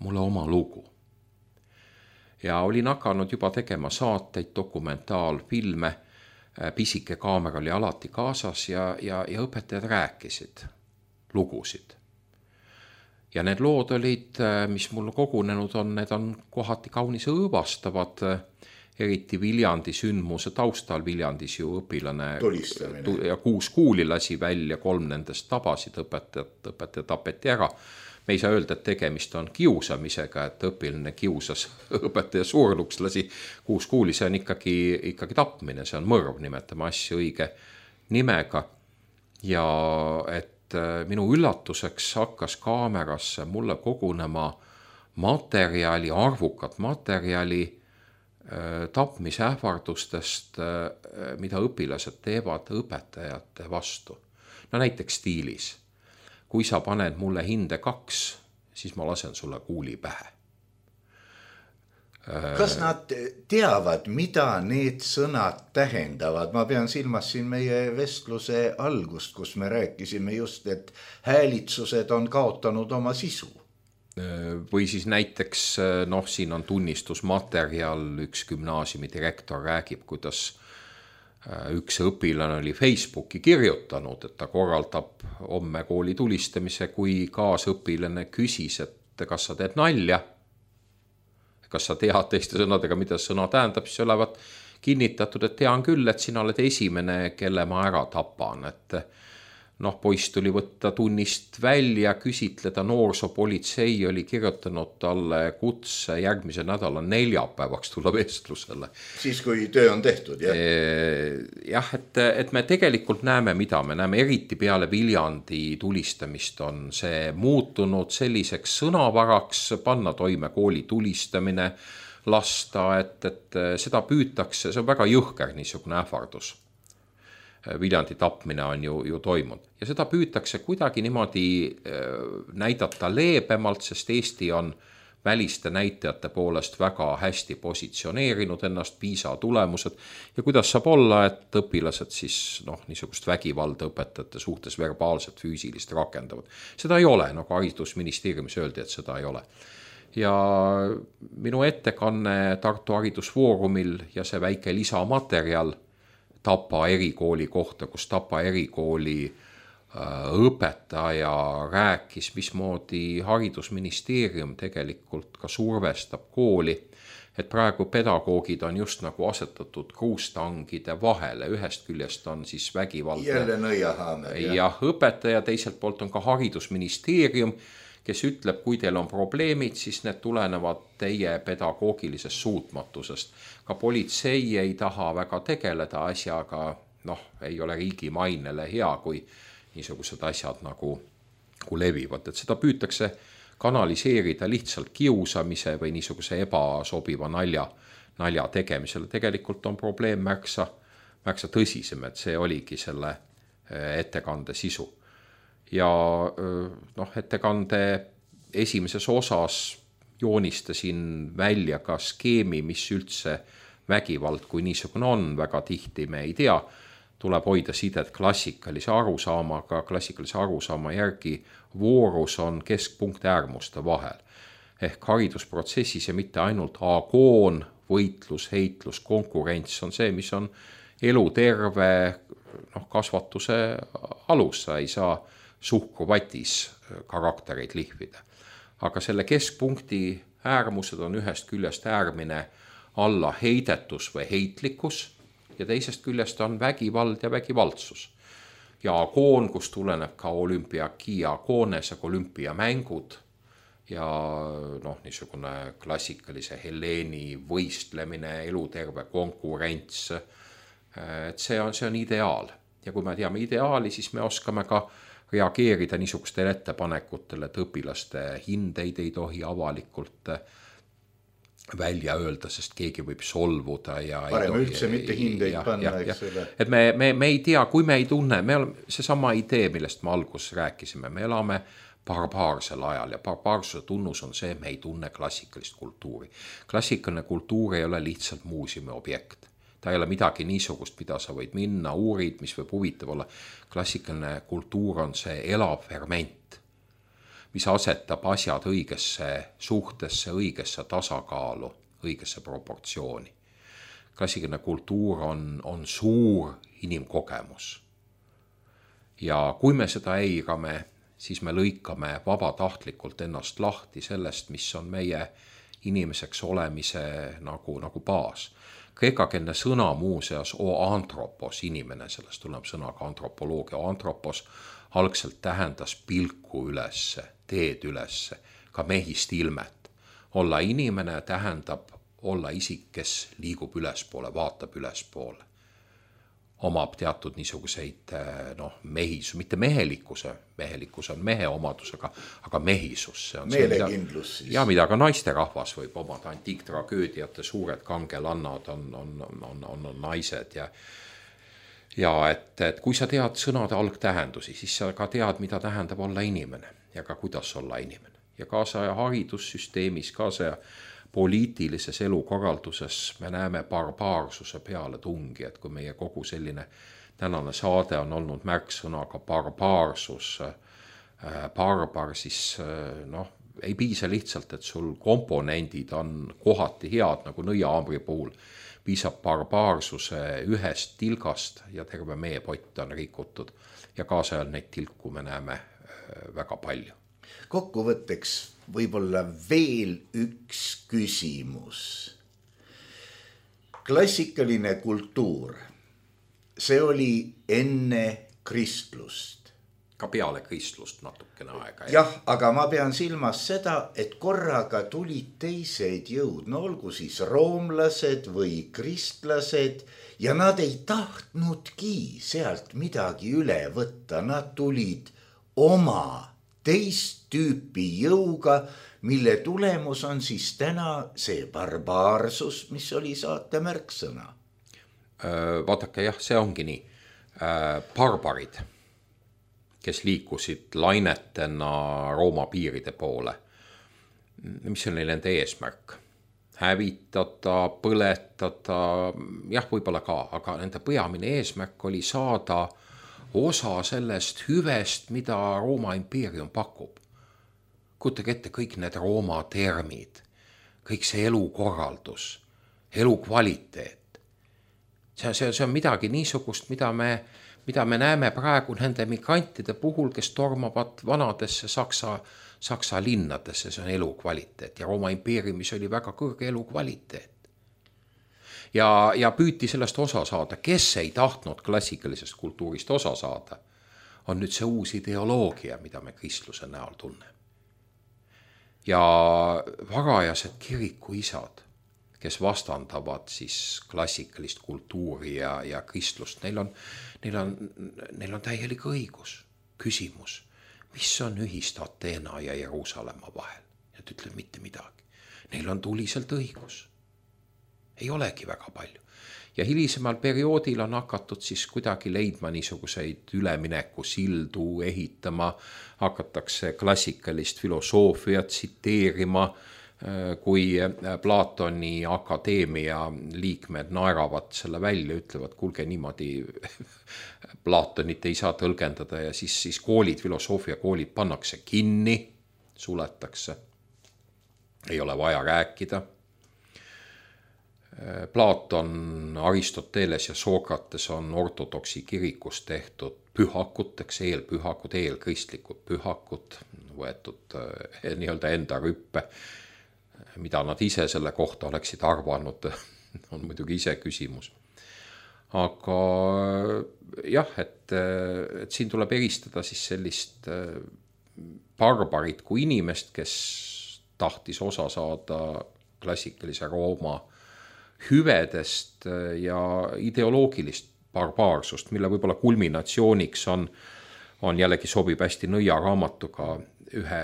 mulle oma lugu. Ja olin hakanud juba tegema saateid, dokumentaalfilme, pisike kaamera oli alati kaasas ja õpetajad rääkisid lugusid. Ja need lood olid, mis mul kogunenud on, need on kohati kaunis õõvastavad, eriti Viljandi sündmuse taustal. Viljandis ju õpilane ja 6 kuuli lasi välja, 3 nendest tabasid õpetaja tapeti ära. Me ei saa öelda, et tegemist on kiusamisega, et õpilane kiusas õpetaja surnuks, lasi 6 kuuli, see on ikkagi tapmine, see on mõrv, nimetame asju õige nimega. Ja et minu üllatuseks hakkas kaamerasse mulle kogunema materjali, arvukat materjali tapmisähvardustest, mida õpilased teevad õpetajate vastu. No näiteks stiilis. Kui sa paned mulle hinde 2, siis ma lasen sulle kuuli pähe. Kas nad teavad, mida need sõnad tähendavad? Ma pean silmas siin meie vestluse algust, kus me rääkisime just, et häälitsused on kaotanud oma sisu. Või siis näiteks, siin on tunnistusmaterjal, üks gümnaasiumi direktor räägib, kuidas üks õpilane oli Facebooki kirjutanud, et ta korraldab homme kooli tulistamise, kui kaasõpilane küsis, et kas sa teed nalja, kas sa tead teiste sõnadega, mida sõna tähendab, siis olevat kinnitatud, et tean küll, et sina oled esimene, kelle ma ära tapan, et poiss tuli võtta tunnist välja, küsitleda, noorsoopolitsei oli kirjutanud talle kutse järgmise nädala neljapäevaks tulla vestlusele. Siis, kui töö on tehtud, jah? Jah, et me tegelikult näeme, mida me näeme, eriti peale Viljandi tulistamist on see muutunud selliseks sõnavaraks, panna toime kooli tulistamine, lasta, et seda püütakse, see on väga jõhker niisugune ähvardus. Viljandi tapmine on ju toimunud. Ja seda püütakse kuidagi niimoodi näidata leebemalt, sest Eesti on väliste näitajate poolest väga hästi positsioneerinud ennast, PISA tulemused. Ja kuidas saab olla, et õpilased siis niisugust vägivalda õpetajate suhtes verbaalselt, füüsilist rakendavad. Seda ei ole, nagu haridusministeeriumis öeldi, et seda ei ole. Ja minu ettekanne Tartu haridusfoorumil ja see väike lisamaterjal Tapa erikooli kohta, kus Tapa erikooli õpetaja rääkis, mismoodi haridusministeerium tegelikult ka survestab kooli, et praegu pedagoogid on just nagu asetatud kruustangide vahele, ühest küljest on siis vägivaldne jälle nõiahaamer, ja õpetaja, teiselt poolt on ka haridusministeerium, kes ütleb, kui teil on probleemid, siis need tulenevad teie pedagoogilisest suutmatusest. Ka politsei ei taha väga tegeleda asjaga, ei ole riigi mainele hea, kui niisugused asjad nagu levivad. Et seda püütakse kanaliseerida lihtsalt kiusamise või niisuguse ebasobiva nalja tegemisele. Tegelikult on probleem märksa tõsisem, et see oligi selle ettekande sisu. Ja ettekande esimeses osas joonistasin välja ka skeemi, mis üldse vägivald kui niisugune on, väga tihti me ei tea, tuleb hoida sidet klassikalise arusaamaga, klassikalise arusaama järgi voorus on keskpunkt äärmuste vahel. Ehk haridusprotsessis ja mitte ainult agoon, võitlus, heitlus, konkurents on see, mis on eluterve kasvatuse alus, sa ei saa suhkruvatis karaktereid lihvida. Aga selle keskpunkti äärmused on ühest küljest äärmine alla heidetus või heitlikkus ja teisest küljest on vägivald ja vägivaldsus. Ja agoon, kus tuleneb ka olümpiaki agoones ja olümpiamängud ja niisugune klassikalise Helleeni võistlemine, eluterve konkurents, et see on ideaal. Ja kui me teame ideaali, siis me oskame ka reageerida niisugustele ettepanekutele, et õpilaste hindeid ei tohi avalikult välja öelda, sest keegi võib solvuda. Parem üldse mitte hindeid panna, eks ole. Et me ei tea, kui me ei tunne, see sama idee, millest me alguses rääkisime, me elame barbaarsel ajal ja barbaarsuse tunnus on see, et me ei tunne klassikalist kultuuri. Klassikaline kultuur ei ole lihtsalt muuseumi objekt. Ta ei ole midagi niisugust, mida sa võid minna, uurid, mis võib huvitav olla. Klassikaline kultuur on see elav ferment, mis asetab asjad õigesse suhtesse, õigesse tasakaalu, õigesse proportsiooni. Klassikaline kultuur on suur inimkogemus. Ja kui me seda eirame, siis me lõikame vabatahtlikult ennast lahti sellest, mis on meie inimeseks olemise nagu baas. Kreekakeelne sõna muuseas antropos, inimene, sellest tuleb sõnaga antropoloogia. Antropos algselt tähendas pilku ülesse, teed ülesse, ka mehist ilmet. Olla inimene tähendab olla isik, kes liigub ülespoole, vaatab ülespoole. omab teatud niisuguseid mitte mehelikkus on mehe omadus, aga mehisus. See on meelekindlus siis. Ja mida ka naisterahvas võib omada, antiiktragöödiate suured kangelannad on naised ja et kui sa tead sõnade algtähendusi, siis sa ka tead, mida tähendab olla inimene ja ka kuidas olla inimene. Ja kaasaja haridussüsteemis, kaasaja poliitilises elukorralduses me näeme barbaarsuse peale tungi, et kui meie kogu selline tänane saade on olnud märksõnaga barbaarsus, barbar, siis ei piisa lihtsalt, et sul komponendid on kohati head, nagu nõiaambri puhul, piisab barbaarsuse ühest tilgast ja terve meie pott on rikutud ja kaasajal neid tilku me näeme väga palju. Kokkuvõtteks võib-olla veel üks küsimus. Klassikaline kultuur, see oli enne kristlust. Ka peale kristlust natukene aega. Jah, aga ma pean silmas seda, et korraga tulid teised jõud, olgu siis roomlased või kristlased ja nad ei tahtnudki sealt midagi üle võtta, nad tulid oma teist tüüpi jõuga, mille tulemus on siis täna see barbaarsus, mis oli saate märksõna. Vaadake, jah, see ongi nii. Barbarid, kes liikusid lainetena Rooma piiride poole, mis oli nende eesmärk? Hävitada, põletada, jah, võib-olla ka, aga nende peamine eesmärk oli saada osa sellest hüvest, mida Rooma impeerium pakub. Kujutage ette kõik need Rooma termid, kõik see elukorraldus, elukvaliteet. See on midagi niisugust, mida me näeme praegu nende migrantide puhul, kes tormavad vanadesse Saksa linnadesse, see on elukvaliteet ja Rooma impeeriumis oli väga kõrge elukvaliteet. Ja püüti sellest osa saada, kes ei tahtnud klassikalisest kultuurist osa saada, on nüüd see uus ideoloogia, mida me kristluse näol tunneme. Ja varajased kirikuisad, kes vastandavad siis klassikalist kultuuri ja kristlust, neil on täielik õigus, küsimus, mis on ühist Ateena ja Jeruusalemma vahel. Nad ütlevad mitte midagi. Neil on tuliselt õigus. Ei olegi väga palju. Ja hilisemal perioodil on hakatud siis kuidagi leidma niisuguseid ülemineku sildu ehitama, hakatakse klassikalist filosoofiat tsiteerima, kui Platoni akadeemia liikmed naeravad selle välja, ütlevad, kuulge niimoodi Platonit ei saa tõlgendada ja siis koolid, filosoofiakoolid pannakse kinni, suletakse, ei ole vaja rääkida. Platon, Aristoteles ja Sokrates on ortodoksi kirikus tehtud pühakuteks, eelpühakud, eelkristlikud pühakud, võetud nii-öelda enda rüppe, mida nad ise selle kohta oleksid arvanud, on muidugi ise küsimus. Aga jah, et siin tuleb eristada siis sellist barbarit kui inimest, kes tahtis osa saada klassikalise Rooma hüvedest ja ideoloogilist barbaarsust, mille võib-olla kulminatsiooniks on jällegi sobib hästi Nõia raamatuga ühe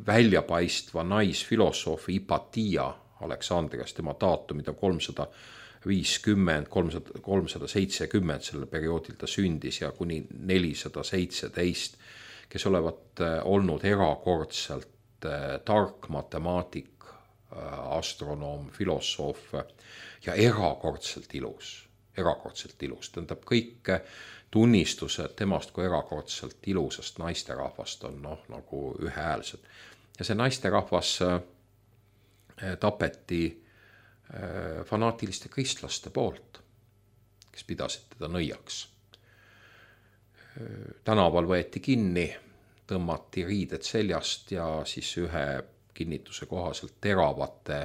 väljapaistva naisfilosoofi Hypatia Aleksandrias, tema daatumid on 350, 370 sellel perioodil ta sündis ja kuni 417, kes olevat olnud erakordselt tark matemaatik, astronoom, filosoof ja erakordselt ilus. Tähendab kõik tunnistused temast kui erakordselt ilusast naisterahvast on nagu ühehäälsed. Ja see naisterahvas tapeti fanaatiliste kristlaste poolt, kes pidasid teda nõiaks. Tänaval võeti kinni, tõmmati riided seljast ja siis ühe kinnituse kohaselt teravate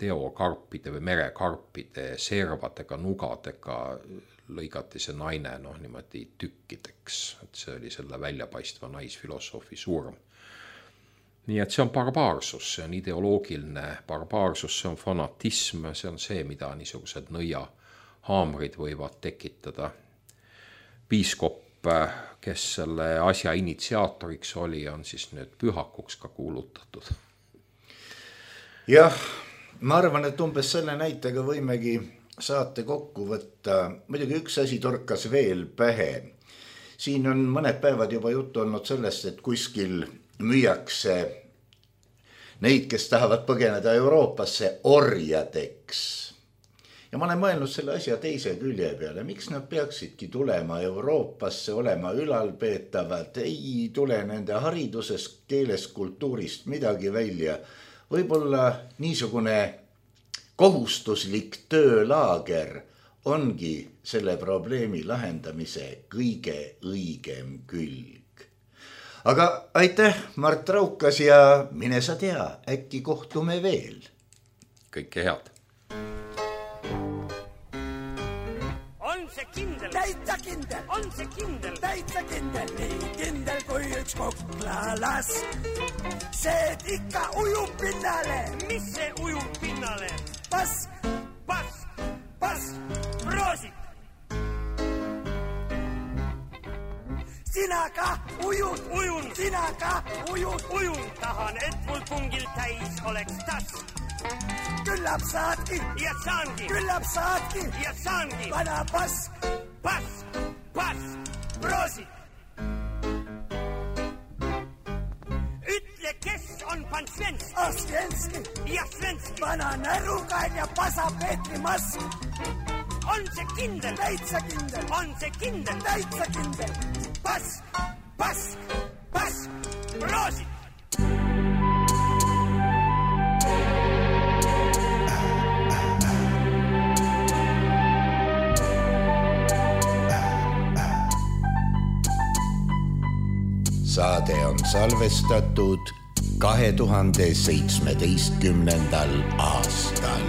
teokarpide või merekarpide servadega, nugadega lõigati see naine niimoodi tükkideks, et see oli selle väljapaistva naisfilosoofi surm. Nii et see on barbaarsus, see on ideoloogiline barbaarsus, see on fanatism, see on see, mida niisugused Nõia haamrid võivad tekitada. Piiskop, kes selle asja initsiaatoriks oli, on siis nüüd pühakuks ka kuulutatud. Jah, ma arvan, et umbes selle näitega võimegi saate kokku võtta. Muidugi üks asi torkas veel pähe. Siin on mõned päevad juba juttu olnud sellest, et kuskil müüakse neid, kes tahavad põgeneda Euroopasse orjadeks. Ja ma olen mõelnud selle asja teise külje peale. Miks nad peaksidki tulema Euroopasse, olema ülalpeetavad? Ei tule nende haridusest, keelest, kultuurist midagi välja. Võib-olla niisugune kohustuslik töölaager ongi selle probleemi lahendamise kõige õigem külg. Aga aitäh, Mart Raukas, ja mine sa tea, äkki kohtume veel. Kõike head. Kindel. Täitsa kindel. On see kindel. Täitsa kindel. Nii kindel kui üks koklalas. See ikka ujub pinnale. Mis see ujub pinnale? Pask, pask, pask. Proosit. Sina ka ujud. Ujun. Sina ka ujud. Ujun. Tahan, et mul pungil täis oleks tas. Küllap saadki. Ja saangi. Küllap saadki. Ja saangi. Vana pask. Pask, pask, proosit. Ütle, kes on pan Svenski? Svenski. Ja Svenski. Vana närukain ja pasa Petri mask. On see kindel? Täitsa kindel. On see kindel? Täitsa kindel. Pask, pask, pask, proosit. Saade on salvestatud 2017. aastal.